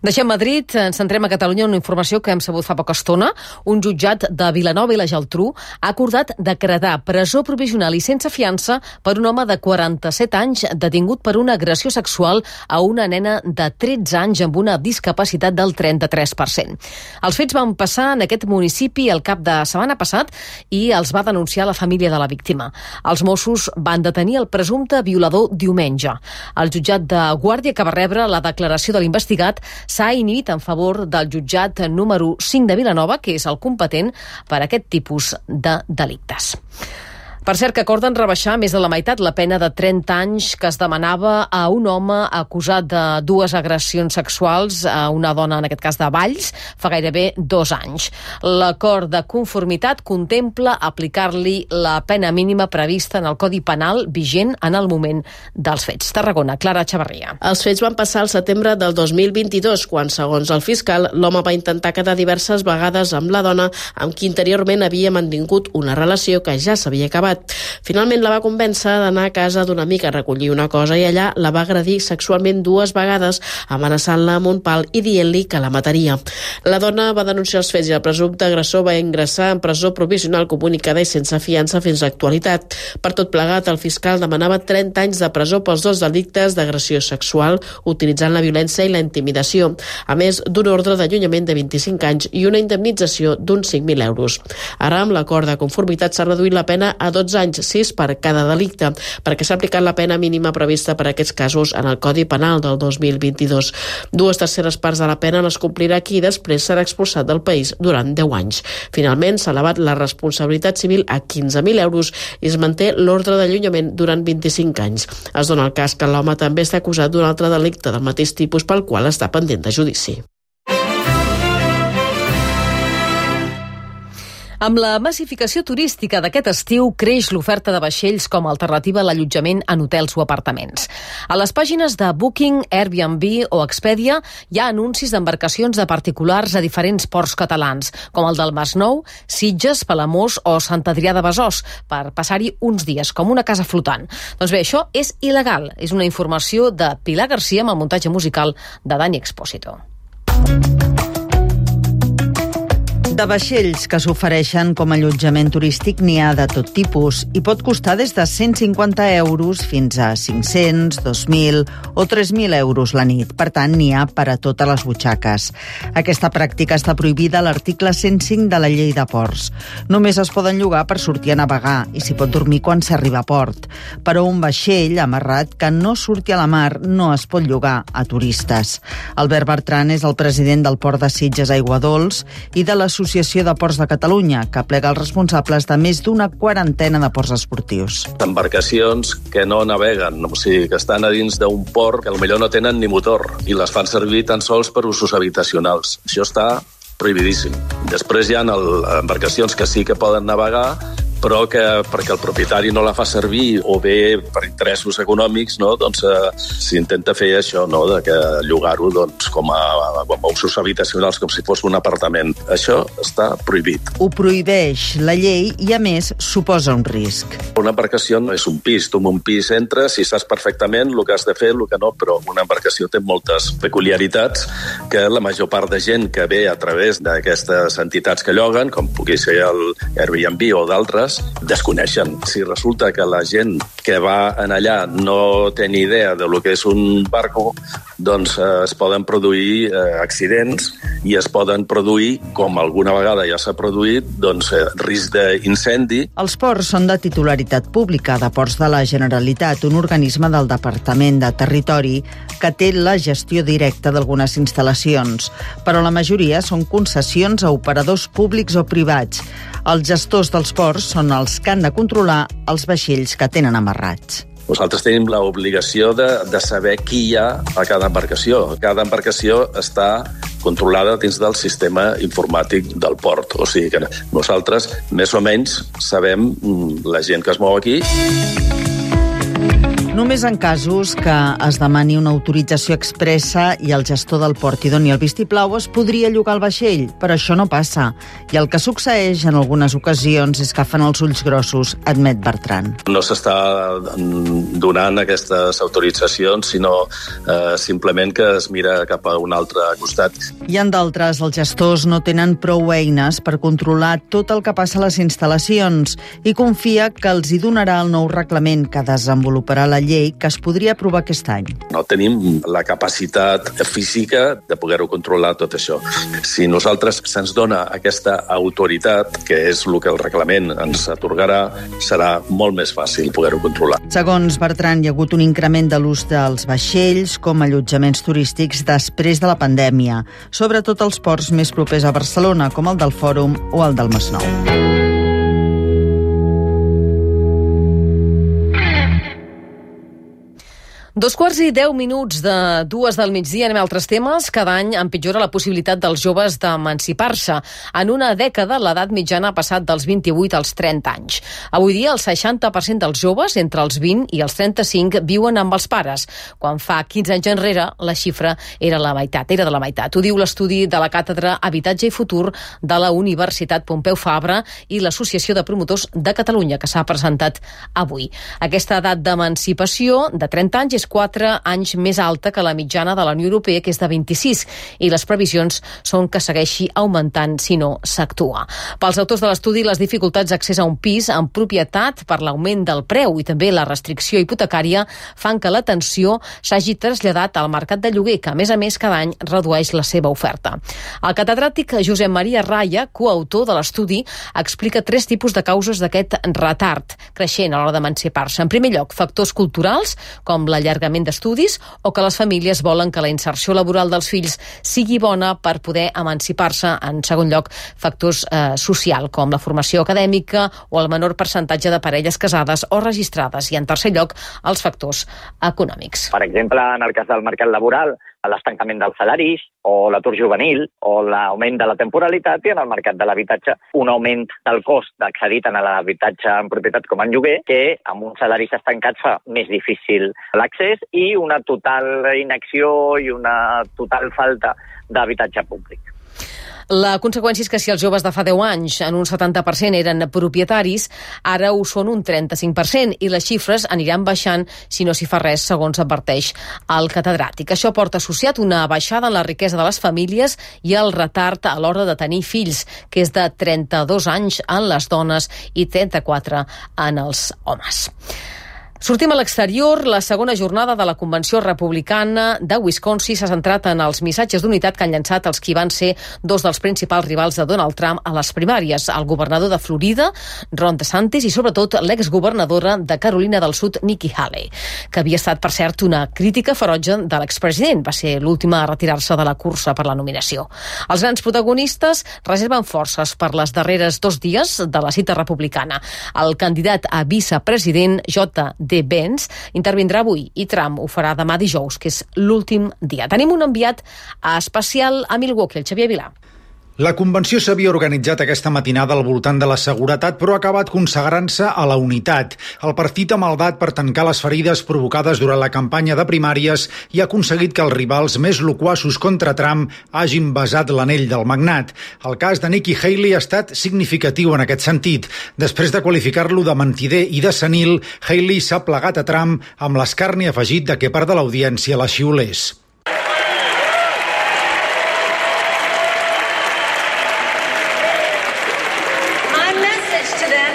Deixem Madrid, ens centrem a Catalunya, una informació que hem sabut fa poca estona. Un jutjat de Vilanova i la Geltrú ha acordat decretar presó provisional i sense fiança per un home de quaranta-set anys detingut per una agressió sexual a una nena de tretze anys amb una discapacitat del trenta-tres per cent. Els fets van passar en aquest municipi el cap de setmana passat i els va denunciar la família de la víctima. Els Mossos van detenir el presumpte violador diumenge. El jutjat de Guàrdia, que va rebre la declaració de l'investigat, s'ha inhibit en favor del jutjat número cinc de Vilanova, que és el competent per a aquest tipus de delictes. Per cert, que acorden rebaixar més de la meitat la pena de trenta anys que es demanava a un home acusat de dues agressions sexuals a una dona, en aquest cas de Valls, fa gairebé dos anys. L'acord de conformitat contempla aplicar-li la pena mínima prevista en el Codi Penal vigent en el moment dels fets. Tarragona, Clara Xavarria. Els fets van passar al setembre del dos mil vint-i-dos, quan, segons el fiscal, l'home va intentar quedar diverses vegades amb la dona amb qui interiorment havia mantingut una relació que ja s'havia acabat. Finalment la va convèncer d'anar a casa d'una amiga a recollir una cosa i allà la va agredir sexualment dues vegades, amenaçant-la amb un pal i dient-li que la mataria. La dona va denunciar els fets i el presumpte agressor va ingressar en presó provisional comunicada i sense fiança fins a l'actualitat. Per tot plegat, el fiscal demanava trenta anys de presó pels dos delictes d'agressió sexual utilitzant la violència i la intimidació, a més d'un ordre d'allunyament de vint-i-cinc anys i una indemnització d'uns cinc mil euros. Ara, amb l'acord de conformitat, s'ha reduït la pena a dotze anys, sis per cada delicte, perquè s'ha aplicat la pena mínima prevista per a aquests casos en el Codi Penal del dos mil vint-i-dos. Dues terceres parts de la pena les complirà qui després serà expulsat del país durant deu anys. Finalment, s'ha elevat la responsabilitat civil a quinze mil euros i es manté l'ordre d'allunyament durant vint-i-cinc anys. Es dona el cas que l'home també està acusat d'un altre delicte del mateix tipus pel qual està pendent de judici. Amb la massificació turística d'aquest estiu creix l'oferta de vaixells com a alternativa a l'allotjament en hotels o apartaments. A les pàgines de Booking, Airbnb o Expedia hi ha anuncis d'embarcacions de particulars a diferents ports catalans, com el del Masnou, Sitges, Palamós o Sant Adrià de Besòs, per passar-hi uns dies, com una casa flotant. Doncs bé, això és il·legal. És una informació de Pilar Garcia amb el muntatge musical de Dani Expósito. De vaixells que s'ofereixen com a allotjament turístic n'hi ha de tot tipus i pot costar des de cent cinquanta euros fins a cinc-cents, dos mil o tres mil euros la nit. Per tant, n'hi ha per a totes les butxaques. Aquesta pràctica està prohibida a l'article cent cinc de la Llei de Ports. Només es poden llogar per sortir a navegar i s'hi pot dormir quan s'arriba a port. Però un vaixell amarrat que no surti a la mar no es pot llogar a turistes. Albert Bertran és el president del Port de Sitges Aiguadols i de l'Associació Associació de Ports de Catalunya, que plega els responsables de més d'una quarantena de ports esportius. Embarcacions que no naveguen, o sigui, que estan a dins d'un port que potser no tenen ni motor i les fan servir tan sols per usos habitacionals. Això està prohibidíssim. Després hi ha embarcacions que sí que poden navegar, però que perquè el propietari no la fa servir o bé per interessos econòmics, no, doncs eh, s'intenta fer això, no, de que llogar-ho doncs, com, a, com a usos habitacionals, com si fos un apartament. Això està prohibit. Ho prohibeix la llei i, a més, suposa un risc. Una embarcació no és un pis. Tu en un pis entres i saps perfectament el que has de fer, el que no, però una embarcació té moltes peculiaritats que la major part de gent que ve a través d'aquestes entitats que lloguen, com pugui ser el Airbnb o d'altres, desconeixen. Si resulta que la gent que va en allà no té ni idea de lo que és un barco, doncs eh, es poden produir eh, accidents i es poden produir, com alguna vegada ja s'ha produït, doncs eh, risc d'incendi. Els ports són de titularitat pública de Ports de la Generalitat, un organisme del Departament de Territori que té la gestió directa d'algunes instal·lacions, però la majoria són concessions a operadors públics o privats. Els gestors dels ports són els que han de controlar els vaixells que tenen amarrats. Nosaltres tenim l'obligació de, de saber qui hi ha a cada embarcació. Cada embarcació està controlada dins del sistema informàtic del port. O sigui que nosaltres, més o menys, sabem la gent que es mou aquí. Només en casos que es demani una autorització expressa i el gestor del port hi doni el vistiplau es podria llogar el vaixell, però això no passa. I el que succeeix en algunes ocasions és que fan els ulls grossos, admet Bertran. No s'està donant aquestes autoritzacions, sinó eh, simplement que es mira cap a un altre costat. I en d'altres, els gestors no tenen prou eines per controlar tot el que passa a les instal·lacions i confia que els hi donarà el nou reglament que desenvoluparà la llei que es podria aprovar aquest any. No tenim la capacitat física de poder-ho controlar tot això. Si nosaltres se'ns dona aquesta autoritat, que és el que el reglament ens atorgarà, serà molt més fàcil poder-ho controlar. Segons Bertran, hi ha hagut un increment de l'ús dels vaixells com a allotjaments turístics després de la pandèmia, sobretot als ports més propers a Barcelona, com el del Fòrum o el del Masnou. Dos quarts i deu minuts de dues del migdia, anem a altres temes. Cada any empitjora la possibilitat dels joves d'emancipar-se. En una dècada, l'edat mitjana ha passat dels vint-i-vuit als trenta anys. Avui dia, el seixanta per cent dels joves, entre els vint i els trenta-cinc, viuen amb els pares. Quan fa quinze anys enrere, la xifra era la meitat, era de la meitat. Ho diu l'estudi de la Càtedra Habitatge i Futur de la Universitat Pompeu Fabra i l'Associació de Promotors de Catalunya, que s'ha presentat avui. Aquesta edat d'emancipació de trenta anys és quatre anys més alta que la mitjana de la Unió Europea, que és de vint-i-sis, i les previsions són que segueixi augmentant si no s'actua. Pels autors de l'estudi, les dificultats d'accés a un pis en propietat per l'augment del preu i també la restricció hipotecària fan que l'atenció s'hagi traslladat al mercat de lloguer, que a més a més cada any redueix la seva oferta. El catedràtic Josep Maria Raya, coautor de l'estudi, explica tres tipus de causes d'aquest retard creixent a l'hora d'emancipar-se. En primer lloc, factors culturals, com la allargament d'estudis o que les famílies volen que la inserció laboral dels fills sigui bona per poder emancipar-se. En segon lloc, factors eh, social, com la formació acadèmica o el menor percentatge de parelles casades o registrades. I en tercer lloc, els factors econòmics. Per exemple, en el cas del mercat laboral, l'estancament dels salaris o l'atur juvenil o l'augment de la temporalitat, i en el mercat de l'habitatge un augment del cost d'accedir tant a l'habitatge en propietat com en lloguer, que amb uns salaris estancats fa més difícil l'accés, i una total inacció i una total falta d'habitatge públic. La conseqüència és que si els joves de fa deu anys en un setanta per cent eren propietaris, ara ho són un trenta-cinc per cent, i les xifres aniran baixant si no s'hi fa res, segons adverteix el catedràtic. Això porta associat una baixada en la riquesa de les famílies i el retard a l'hora de tenir fills, que és de trenta-dos anys en les dones i trenta-quatre en els homes. Sortim a l'exterior. La segona jornada de la Convenció Republicana de Wisconsin s'ha centrat en els missatges d'unitat que han llançat els qui van ser dos dels principals rivals de Donald Trump a les primàries, el governador de Florida, Ron DeSantis, i sobretot l'exgovernadora de Carolina del Sud, Nikki Haley, que havia estat, per cert, una crítica ferotge de l'expresident. Va ser l'última a retirar-se de la cursa per la nominació. Els grans protagonistes reserven forces per les darreres dos dies de la cita republicana. El candidat a vicepresident, J D Vance, intervindrà avui i Trump ho farà demà dijous, que és l'últim dia. Tenim un enviat especial a Milwaukee, el Xavier Vilà. La convenció s'havia organitzat aquesta matinada al voltant de la seguretat, però ha acabat consagrant-se a la unitat. El partit ha maldat per tancar les ferides provocades durant la campanya de primàries i ha aconseguit que els rivals més loquaços contra Trump hagin besat l'anell del magnat. El cas de Nikki Haley ha estat significatiu en aquest sentit. Després de qualificar-lo de mentider i de senil, Haley s'ha plegat a Trump amb l'escarni afegit de que part de l'audiència la xiulés.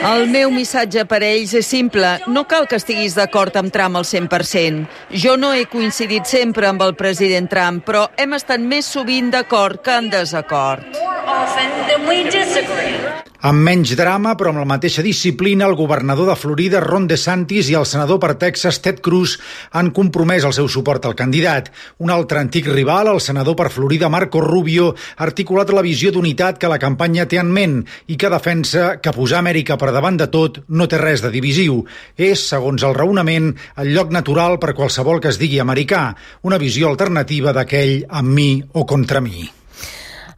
El meu missatge per a ells és simple. No cal que estiguis d'acord amb Trump al cent per cent. Jo no he coincidit sempre amb el president Trump, però hem estat més sovint d'acord que en desacord. Amb menys drama, però amb la mateixa disciplina, el governador de Florida, Ron DeSantis, i el senador per Texas, Ted Cruz, han compromès el seu suport al candidat. Un altre antic rival, el senador per Florida, Marco Rubio, ha articulat la visió d'unitat que la campanya té en ment i que defensa que posar Amèrica per davant de tot no té res de divisiu. És, segons el raonament, el lloc natural per qualsevol que es digui americà, una visió alternativa d'aquell amb mi o contra mi.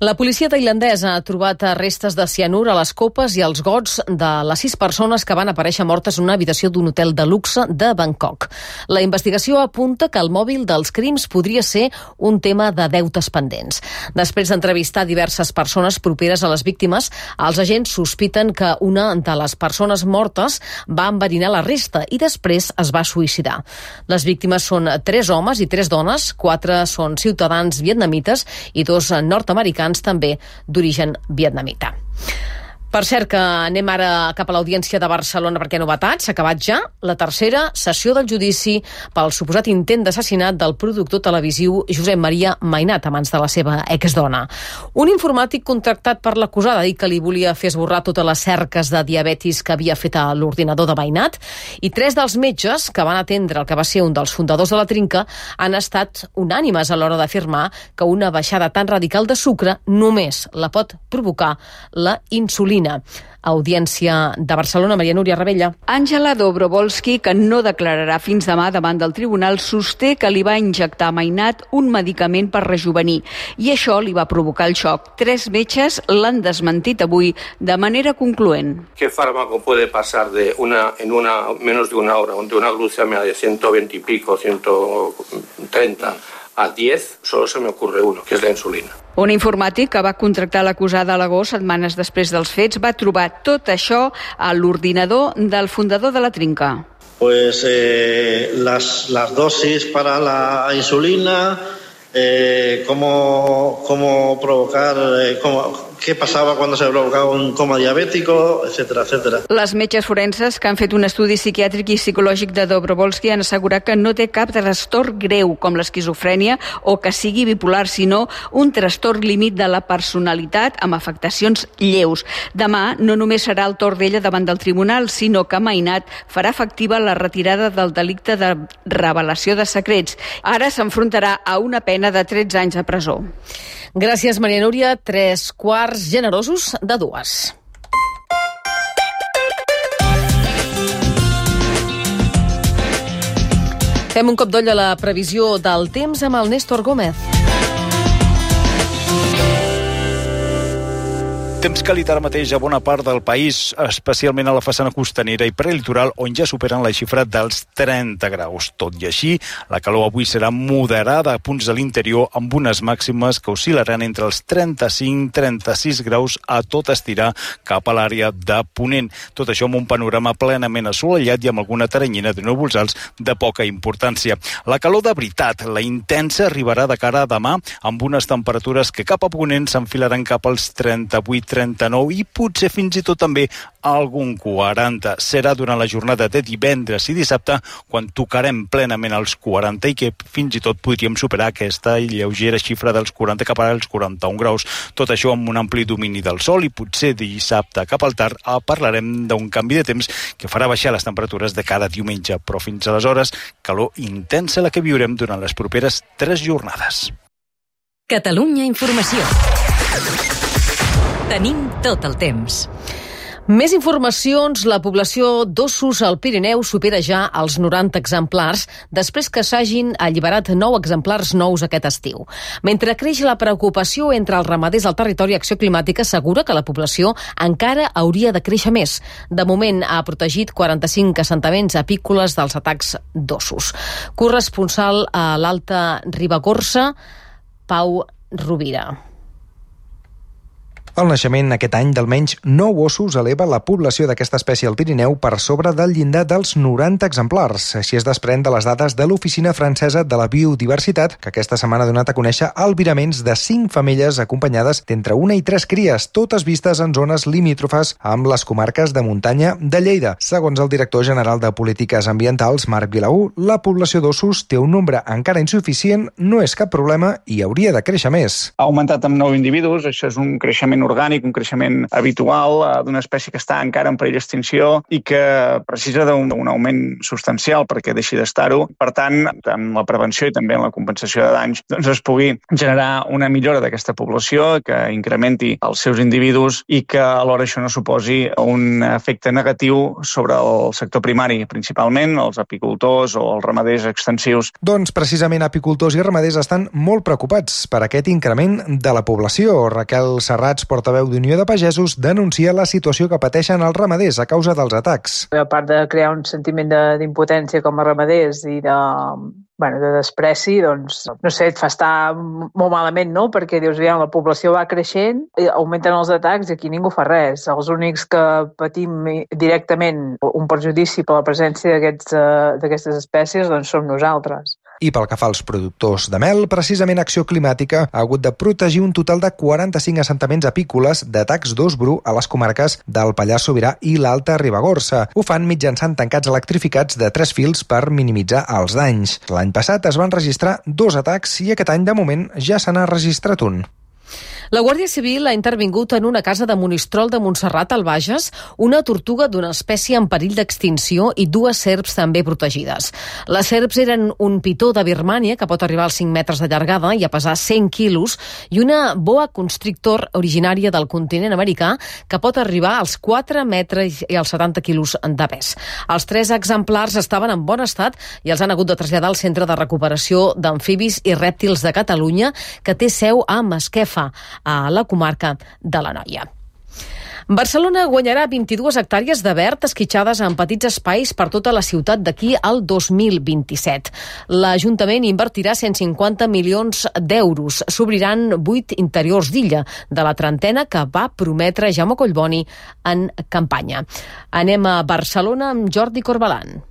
La policia tailandesa ha trobat restes de cianur a les copes i als gots de les sis persones que van aparèixer mortes en una habitació d'un hotel de luxe de Bangkok. La investigació apunta que el mòbil dels crims podria ser un tema de deutes pendents. Després d'entrevistar diverses persones properes a les víctimes, els agents sospiten que una de les persones mortes va enverinar la resta i després es va suïcidar. Les víctimes són tres homes i tres dones, quatre són ciutadans vietnamites i dos nord-americans també d'origen vietnamita. Per cert, que anem ara cap a l'Audiència de Barcelona perquè novetats. S'ha acabat ja la tercera sessió del judici pel suposat intent d'assassinat del productor televisiu Josep Maria Mainat, a mans de la seva exdona. Un informàtic contractat per l'acusada i que li volia fer esborrar totes les cerques de diabetis que havia fet a l'ordinador de Mainat, i tres dels metges que van atendre el que va ser un dels fundadors de la Trinca han estat unànimes a l'hora d'afirmar que una baixada tan radical de sucre només la pot provocar la insulina. Audiència de Barcelona, Maria Núria Rebella. Àngela Dobrovolsky, que no declararà fins demà davant del tribunal, sosté que li va injectar a Mainat un medicament per rejuvenir i això li va provocar el xoc. Tres metges l'han desmentit avui de manera concloent. ¿Qué fármaco puede pasar de una en una menos de una hora de una glucemia de ciento veinte y pico, ciento treinta a diez? Solo se me ocurre uno, que es la insulina. Un informàtic que va contractar l'acusada a l'agost, setmanes després dels fets, va trobar tot això a l'ordinador del fundador de la Trinca. Pues eh, las, las dosis para la insulina, eh, cómo, cómo provocar, eh, cómo, qué pasaba cuando se provocaba un coma diabético, etcètera, etcètera. Les metges forenses que han fet un estudi psiquiàtric i psicològic de Dobrovolsky han assegurat que no té cap trastorn greu com l'esquizofrènia o que sigui bipolar, sinó un trastorn límit de la personalitat amb afectacions lleus. Demà no només serà el torn d'ella davant del tribunal, sinó que Mainat farà efectiva la retirada del delicte de revelació de secrets. Ara s'enfrontarà a una pena de tretze anys de presó. Gràcies, Maria Núria. Tres quarts generosos de dues. Fem un cop d'ull a la previsió del temps amb el Néstor Gómez. Temps càlid ara mateix a bona part del país, especialment a la façana costanera i prelitoral, on ja superen la xifra dels trenta graus. Tot i així, la calor avui serà moderada a punts de l'interior, amb unes màximes que oscil·laran entre els trenta-cinc a trenta-sis graus a tot estirar cap a l'àrea de Ponent. Tot això amb un panorama plenament assolellat i amb alguna teranyina de núvols alts de poca importància. La calor de veritat, la intensa, arribarà de cara a demà, amb unes temperatures que cap a Ponent s'enfilaran cap als trenta-vuit trenta-nou i potser fins i tot també algun quaranta. Serà durant la jornada de divendres i dissabte quan tocarem plenament els quaranta i que fins i tot podríem superar aquesta lleugera xifra dels quaranta cap als quaranta-un graus. Tot això amb un ampli domini del sol i potser dissabte cap al tard parlarem d'un canvi de temps que farà baixar les temperatures de cada diumenge, però fins aleshores calor intensa la que viurem durant les properes tres jornades. Catalunya Informació. Tenim tot el temps. Més informacions. La població d'ossos al Pirineu supera ja els noranta exemplars després que s'hagin alliberat nou exemplars nous aquest estiu. Mentre creix la preocupació entre els ramaders al territori, Acció Climàtica assegura que la població encara hauria de créixer més. De moment ha protegit quaranta-cinc assentaments apícoles dels atacs d'ossos. Corresponsal a l'Alta Ribagorça, Pau Rovira. El naixement aquest any d'almenys nou ossos eleva la població d'aquesta espècie al Pirineu per sobre del llindar dels noranta exemplars. Així es desprèn de les dades de l'Oficina Francesa de la Biodiversitat, que aquesta setmana ha donat a conèixer albiraments de cinc femelles acompanyades d'entre una i tres cries, totes vistes en zones limítrofes amb les comarques de muntanya de Lleida. Segons el director general de Polítiques Ambientals, Marc Vilaú, la població d'ossos té un nombre encara insuficient, no és cap problema i hauria de créixer més. Ha augmentat amb nou individus, això és un creixement creixement orgànic, un creixement habitual eh, d'una espècie que està encara en perill d'extinció i que precisa d'un, d'un augment substancial perquè deixi d'estar-ho. Per tant, en la prevenció i també en la compensació de danys, doncs es pugui generar una millora d'aquesta població, que incrementi els seus individus i que alhora això no suposi un efecte negatiu sobre el sector primari, principalment els apicultors o els ramaders extensius. Doncs precisament apicultors i ramaders estan molt preocupats per aquest increment de la població. Raquel Serrats, portaveu d'Unió de Pagesos, denuncia la situació que pateixen els ramaders a causa dels atacs. A part de crear un sentiment d'impotència com a ramaders i de, bueno, de despreci, doncs, no sé, et fa estar molt malament, no? Perquè dius, aviam, la població va creixent, augmenten els atacs i aquí ningú fa res. Els únics que patim directament un perjudici per la presència d'aquestes espècies doncs som nosaltres. I pel que fa als productors de mel, precisament Acció Climàtica ha hagut de protegir un total de quaranta-cinc assentaments apícoles d'atacs d'ós bru a les comarques del Pallars Sobirà i l'Alta Ribagorça. Ho fan mitjançant tancats electrificats de tres fils per minimitzar els danys. L'any passat es van registrar dos atacs i aquest any, de moment, ja se n'ha registrat un. La Guàrdia Civil ha intervingut en una casa de Monistrol de Montserrat al Bages una tortuga d'una espècie en perill d'extinció i dues serps també protegides. Les serps eren un pitó de Birmània que pot arribar als cinc metres de llargada i a pesar cent quilos i una boa constrictor originària del continent americà que pot arribar als quatre metres i als setanta quilos de pes. Els tres exemplars estaven en bon estat i els han hagut de traslladar al Centre de Recuperació d'Amfibis i Rèptils de Catalunya, que té seu a Masquefa, a la comarca de l'Anoia. Barcelona guanyarà vint-i-dues hectàrees de verd esquitxades en petits espais per tota la ciutat d'aquí al dos mil vint-i-set. L'Ajuntament invertirà cent cinquanta milions d'euros. S'obriran vuit interiors d'illa, de la trentena que va prometre Jaume Collboni en campanya. Anem a Barcelona amb Jordi Corbalan.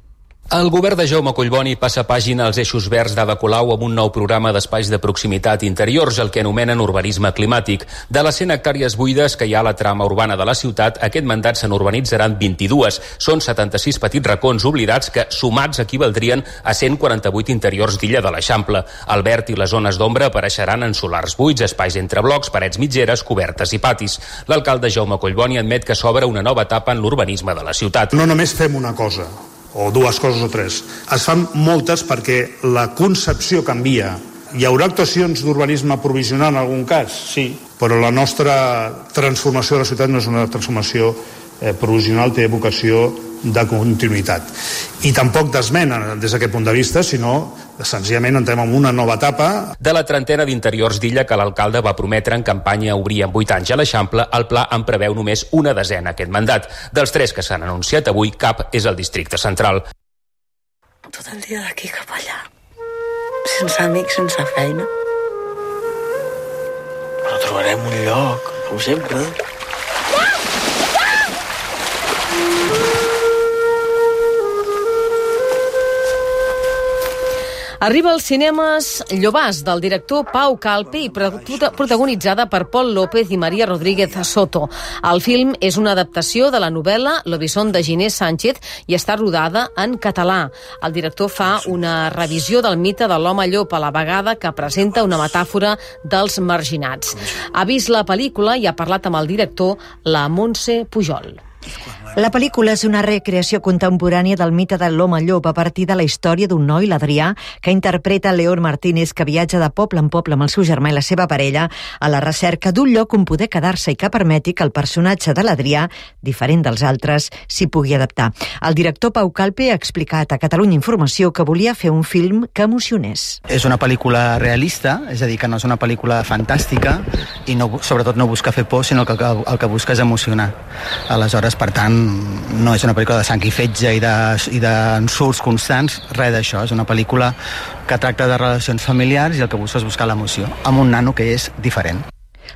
El govern de Jaume Collboni passa pàgina als eixos verds d'Ada Colau amb un nou programa d'espais de proximitat interiors, el que anomenen urbanisme climàtic. De les cent hectàrees buides que hi ha a la trama urbana de la ciutat, aquest mandat se n'urbanitzaran vint-i-dues. Són setanta-sis petits racons oblidats que, sumats, equivaldrien a cent quaranta-vuit interiors d'illa de l'Eixample. El verd i les zones d'ombra apareixeran en solars buits, espais entre blocs, parets mitgeres, cobertes i patis. L'alcalde Jaume Collboni admet que s'obre una nova etapa en l'urbanisme de la ciutat. No només fem una cosa, o dues coses o tres. Es fan moltes perquè la concepció canvia. Hi haurà actuacions d'urbanisme provisional en algun cas? Sí, però la nostra transformació de la ciutat no és una transformació eh, provisional, té vocació de continuïtat. I tampoc d'esmena des d'aquest punt de vista, sinó senzillament entrem en una nova etapa. De la trentena d'interiors d'illa que l'alcalde va prometre en campanya obrir en vuit anys a l'Eixample, el pla en preveu només una desena aquest mandat. Dels tres que s'han anunciat avui, cap és el districte central. Tot el dia d'aquí cap allà, sense amics, sense feina. Però trobarem un lloc, com sempre. Arriba als cinemes Llobàs, del director Pau Calpe i protagonitzada per Pol López i Maria Rodríguez Soto. El film és una adaptació de la novel·la L'Obisson de Ginés Sánchez i està rodada en català. El director fa una revisió del mite de l'home llop, a la vegada que presenta una metàfora dels marginats. Ha vist la pel·lícula i ha parlat amb el director, la Montse Pujol. La pel·lícula és una recreació contemporània del mite de l'home llop a partir de la història d'un noi, l'Adrià, que interpreta León Martínez, que viatja de poble en poble amb el seu germà i la seva parella a la recerca d'un lloc on poder quedar-se i que permeti que el personatge de l'Adrià, diferent dels altres, s'hi pugui adaptar. El director Pau Calpe ha explicat a Catalunya Informació que volia fer un film que emocionés. És una pel·lícula realista, és a dir, que no és una pel·lícula fantàstica i no, sobretot no busca fer por, sinó que el, el que busca és emocionar. Aleshores, per tant, no és una pel·lícula de sang i fetge i d'ensurts de, constants, res d'això. És una pel·lícula que tracta de relacions familiars i el que busca és buscar l'emoció, amb un nano que és diferent.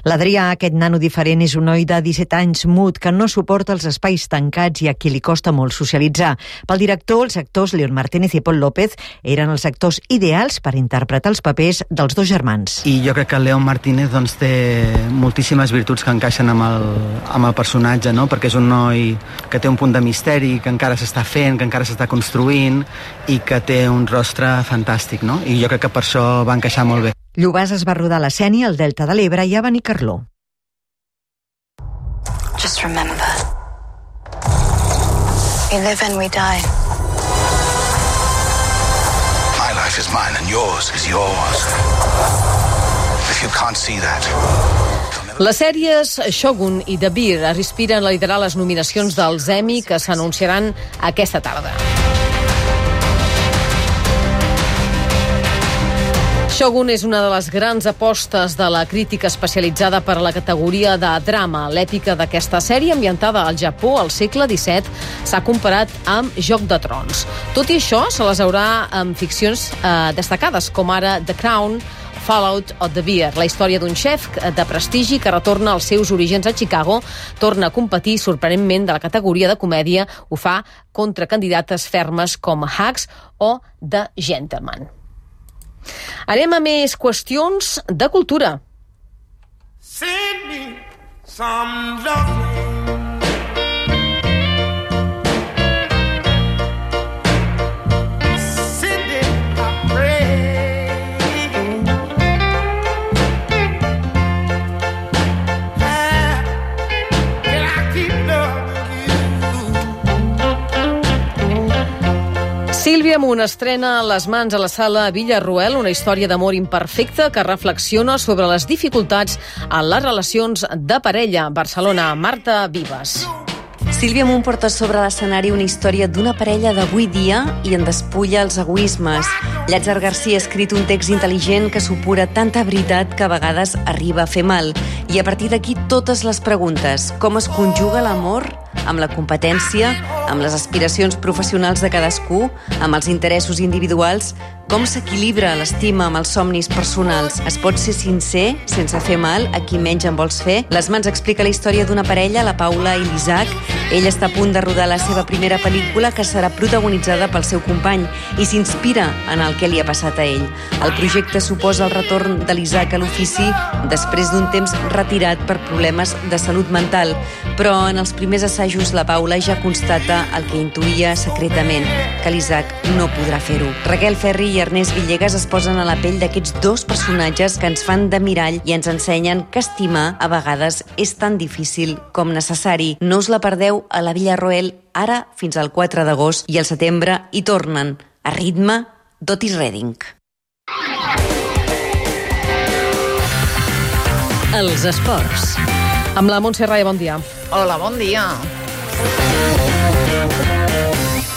L'Adrià, aquest nano diferent, és un noi de disset anys mut que no suporta els espais tancats i a qui li costa molt socialitzar. Pel director, els actors León Martínez i Pol López eren els actors ideals per interpretar els papers dels dos germans. I jo crec que el León Martínez doncs, té moltíssimes virtuts que encaixen amb el, amb el personatge, no? Perquè és un noi que té un punt de misteri, que encara s'està fent, que encara s'està construint i que té un rostre fantàstic, no? I jo crec que per això va encaixar molt bé. Llobàs es va rodar a la Sénia, al Delta de l'Ebre i a Benicarló. Just remember, we live and we die. My life is mine and yours is yours. If you can't see that... Les sèries Shogun i The Bear aspiren a liderar les nominacions dels Emmy que s'anunciaran aquesta tarda. Shogun és una de les grans apostes de la crítica especialitzada per a la categoria de drama. L'èpica d'aquesta sèrie, ambientada al Japó al segle disset, s'ha comparat amb Joc de Trons. Tot i això, se les haurà amb ficcions eh, destacades, com ara The Crown, Fallout o The Bear, la història d'un xef de prestigi que retorna als seus orígens a Chicago, torna a competir sorprenentment de la categoria de comèdia, ho fa contra candidates fermes com Hacks o The Gentleman. Anem a més qüestions de cultura. Send me some loving. Sílvia Munt estrena Les mans a la sala Villarroel, una història d'amor imperfecta que reflexiona sobre les dificultats en les relacions de parella. Barcelona, Marta Vives. Sílvia Munt porta sobre l'escenari una història d'una parella d'avui dia i en despulla els egoismes. Llàtzer Garcia ha escrit un text intel·ligent que supura tanta veritat que a vegades arriba a fer mal. I a partir d'aquí totes les preguntes. Com es conjuga l'amor amb la competència, amb les aspiracions professionals de cadascú, amb els interessos individuals? Com s'equilibra l'estima amb els somnis personals? Es pot ser sincer sense fer mal a qui menys en vols fer? Les mans explica la història d'una parella, la Paula i l'Isaac. Ell està a punt de rodar la seva primera pel·lícula, que serà protagonitzada pel seu company, i s'inspira en el que li ha passat a ell. El projecte suposa el retorn de l'Isaac a l'ofici després d'un temps retirat per problemes de salut mental, però en els primers assajos la Paula ja constata el que intuïa secretament, que l'Isaac no podrà fer-ho. Raquel Ferri i Ernest Villegas es posen a la pell d'aquests dos personatges que ens fan de mirall i ens ensenyen que estimar a vegades és tan difícil com necessari. No us la perdeu a la Villarroel ara fins al quatre d'agost i al setembre hi tornen a ritme d'Otis Redding. Els esports. Amb la Montse Rai, bon dia. Hola, bon dia.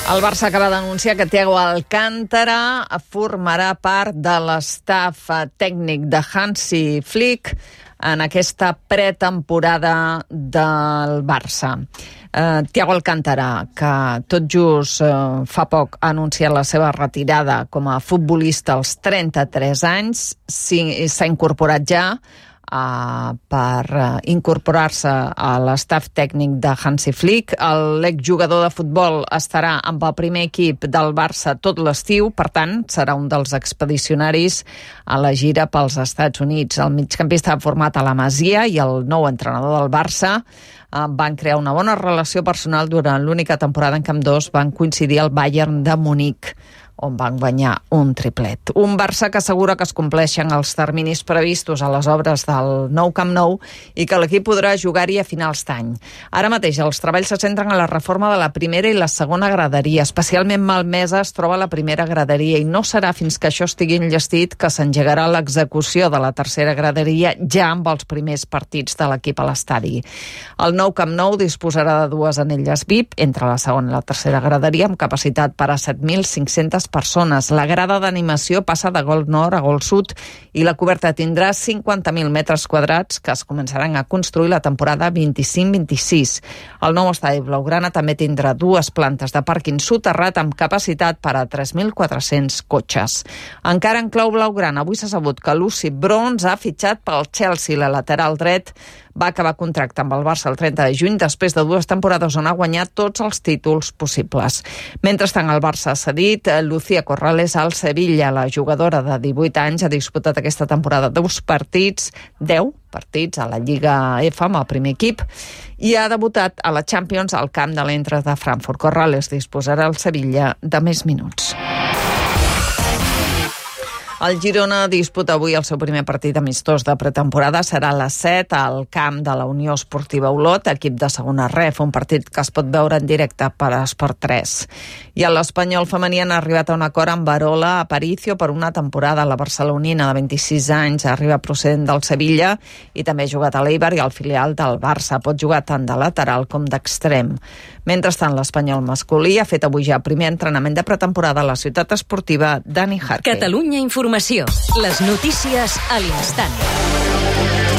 El Barça acaba d'anunciar que Thiago Alcántara formarà part de l'estaf tècnic de Hansi Flick en aquesta pretemporada del Barça. Uh, Thiago Alcántara, que tot just uh, fa poc ha anunciat la seva retirada com a futbolista als trenta-tres anys, s'ha incorporat ja Uh, per uh, incorporar-se a l'estaf tècnic de Hansi Flick. L'exjugador de futbol estarà amb el primer equip del Barça tot l'estiu, per tant, serà un dels expedicionaris a la gira pels Estats Units. El migcampista ha format a la Masia i el nou entrenador del Barça uh, van crear una bona relació personal durant l'única temporada en què ambdós van coincidir al Bayern de Munic, on van guanyar un triplet. Un Barça que assegura que es compleixen els terminis previstos a les obres del nou Camp Nou i que l'equip podrà jugar-hi a finals d'any. Ara mateix els treballs se centren en la reforma de la primera i la segona graderia. Especialment malmesa es troba la primera graderia i no serà fins que això estigui enllestit que s'engegarà l'execució de la tercera graderia ja amb els primers partits de l'equip a l'estadi. El nou Camp Nou disposarà de dues anelles V I P entre la segona i la tercera graderia amb capacitat per a set mil cinc-centes persones. La grada d'animació passa de gol nord a gol sud i la coberta tindrà cinquanta mil metres quadrats que es començaran a construir la temporada vint-i-cinc vint-i-sis. El nou estadi blaugrana també tindrà dues plantes de pàrquing soterrat amb capacitat per a tres mil quatre-cents cotxes. Encara en clau blaugrana, avui s'ha sabut que Lucy Bronze ha fitxat pel Chelsea. La lateral dret va acabar contracte amb el Barça el trenta de juny després de dues temporades on ha guanyat tots els títols possibles. Mentrestant, el Barça ha cedit Lucía Corrales al Sevilla. La jugadora de divuit anys ha disputat aquesta temporada dos partits, deu partits a la Lliga F amb el primer equip i ha debutat a la Champions al camp de l'Eintracht de Frankfurt. Corrales disposarà al Sevilla de més minuts. El Girona disputa avui el seu primer partit amistós de pretemporada. Serà a les set al camp de la Unió Esportiva Olot, equip de segona ref, un partit que es pot veure en directe per Esport tres. I a l'Espanyol femení han arribat a un acord amb Arola Aparicio per una temporada. La barcelonina de vint-i-sis anys arriba procedent del Sevilla i també ha jugat a l'Eibar i al filial del Barça. Pot jugar tant de lateral com d'extrem. Mentrestant, l'Espanyol masculí ha fet avui ja el primer entrenament de pretemporada a la ciutat esportiva Dani Jarque. Catalunya Informació. Les notícies a l'instant.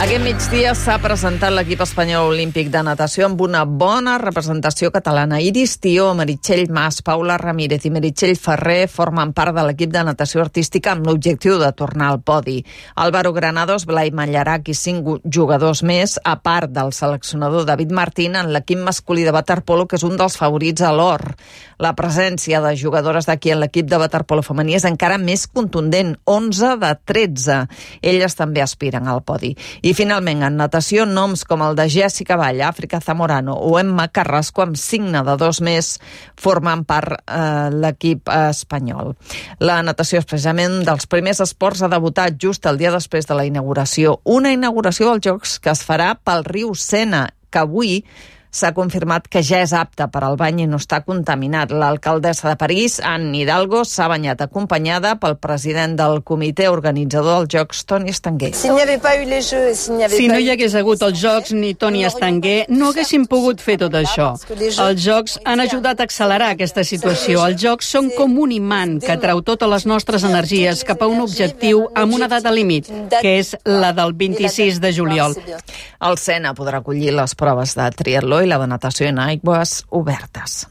Aquest migdia s'ha presentat l'equip espanyol olímpic de natació amb una bona representació catalana. Iris Tió, Meritxell Mas, Paula Ramírez i Meritxell Ferrer formen part de l'equip de natació artística amb l'objectiu de tornar al podi. Álvaro Granados, Blai Mallarac i cinc jugadors més, a part del seleccionador David Martín, en l'equip masculí de waterpolo, que és un dels favorits a l'or. La presència de jugadores d'aquí en l'equip de waterpolo femení és encara més contundent, onze de tretze. Elles també aspiren al podi. I finalment, en natació, noms com el de Jessica Vall, Àfrica Zamorano o Emma Carrasco, amb signe de dos més, formen part eh, l'equip espanyol. La natació és precisament dels primers esports a debutar just el dia després de la inauguració. Una inauguració dels Jocs que es farà pel riu Sena, que avui s'ha confirmat que ja és apte per al bany i no està contaminat. L'alcaldessa de París, Anne Hidalgo, s'ha banyat acompanyada pel president del comitè organitzador dels Jocs, Toni Estanguer. Si no hi hagués hagut els Jocs ni Toni Estanguer, no haguéssim pogut fer tot això. Els Jocs han ajudat a accelerar aquesta situació. Els Jocs són com un imant que treu totes les nostres energies cap a un objectiu amb una data límit, que és la del vint-i-sis de juliol. El Sena podrà acollir les proves de triatló i la de natació en aigües obertes.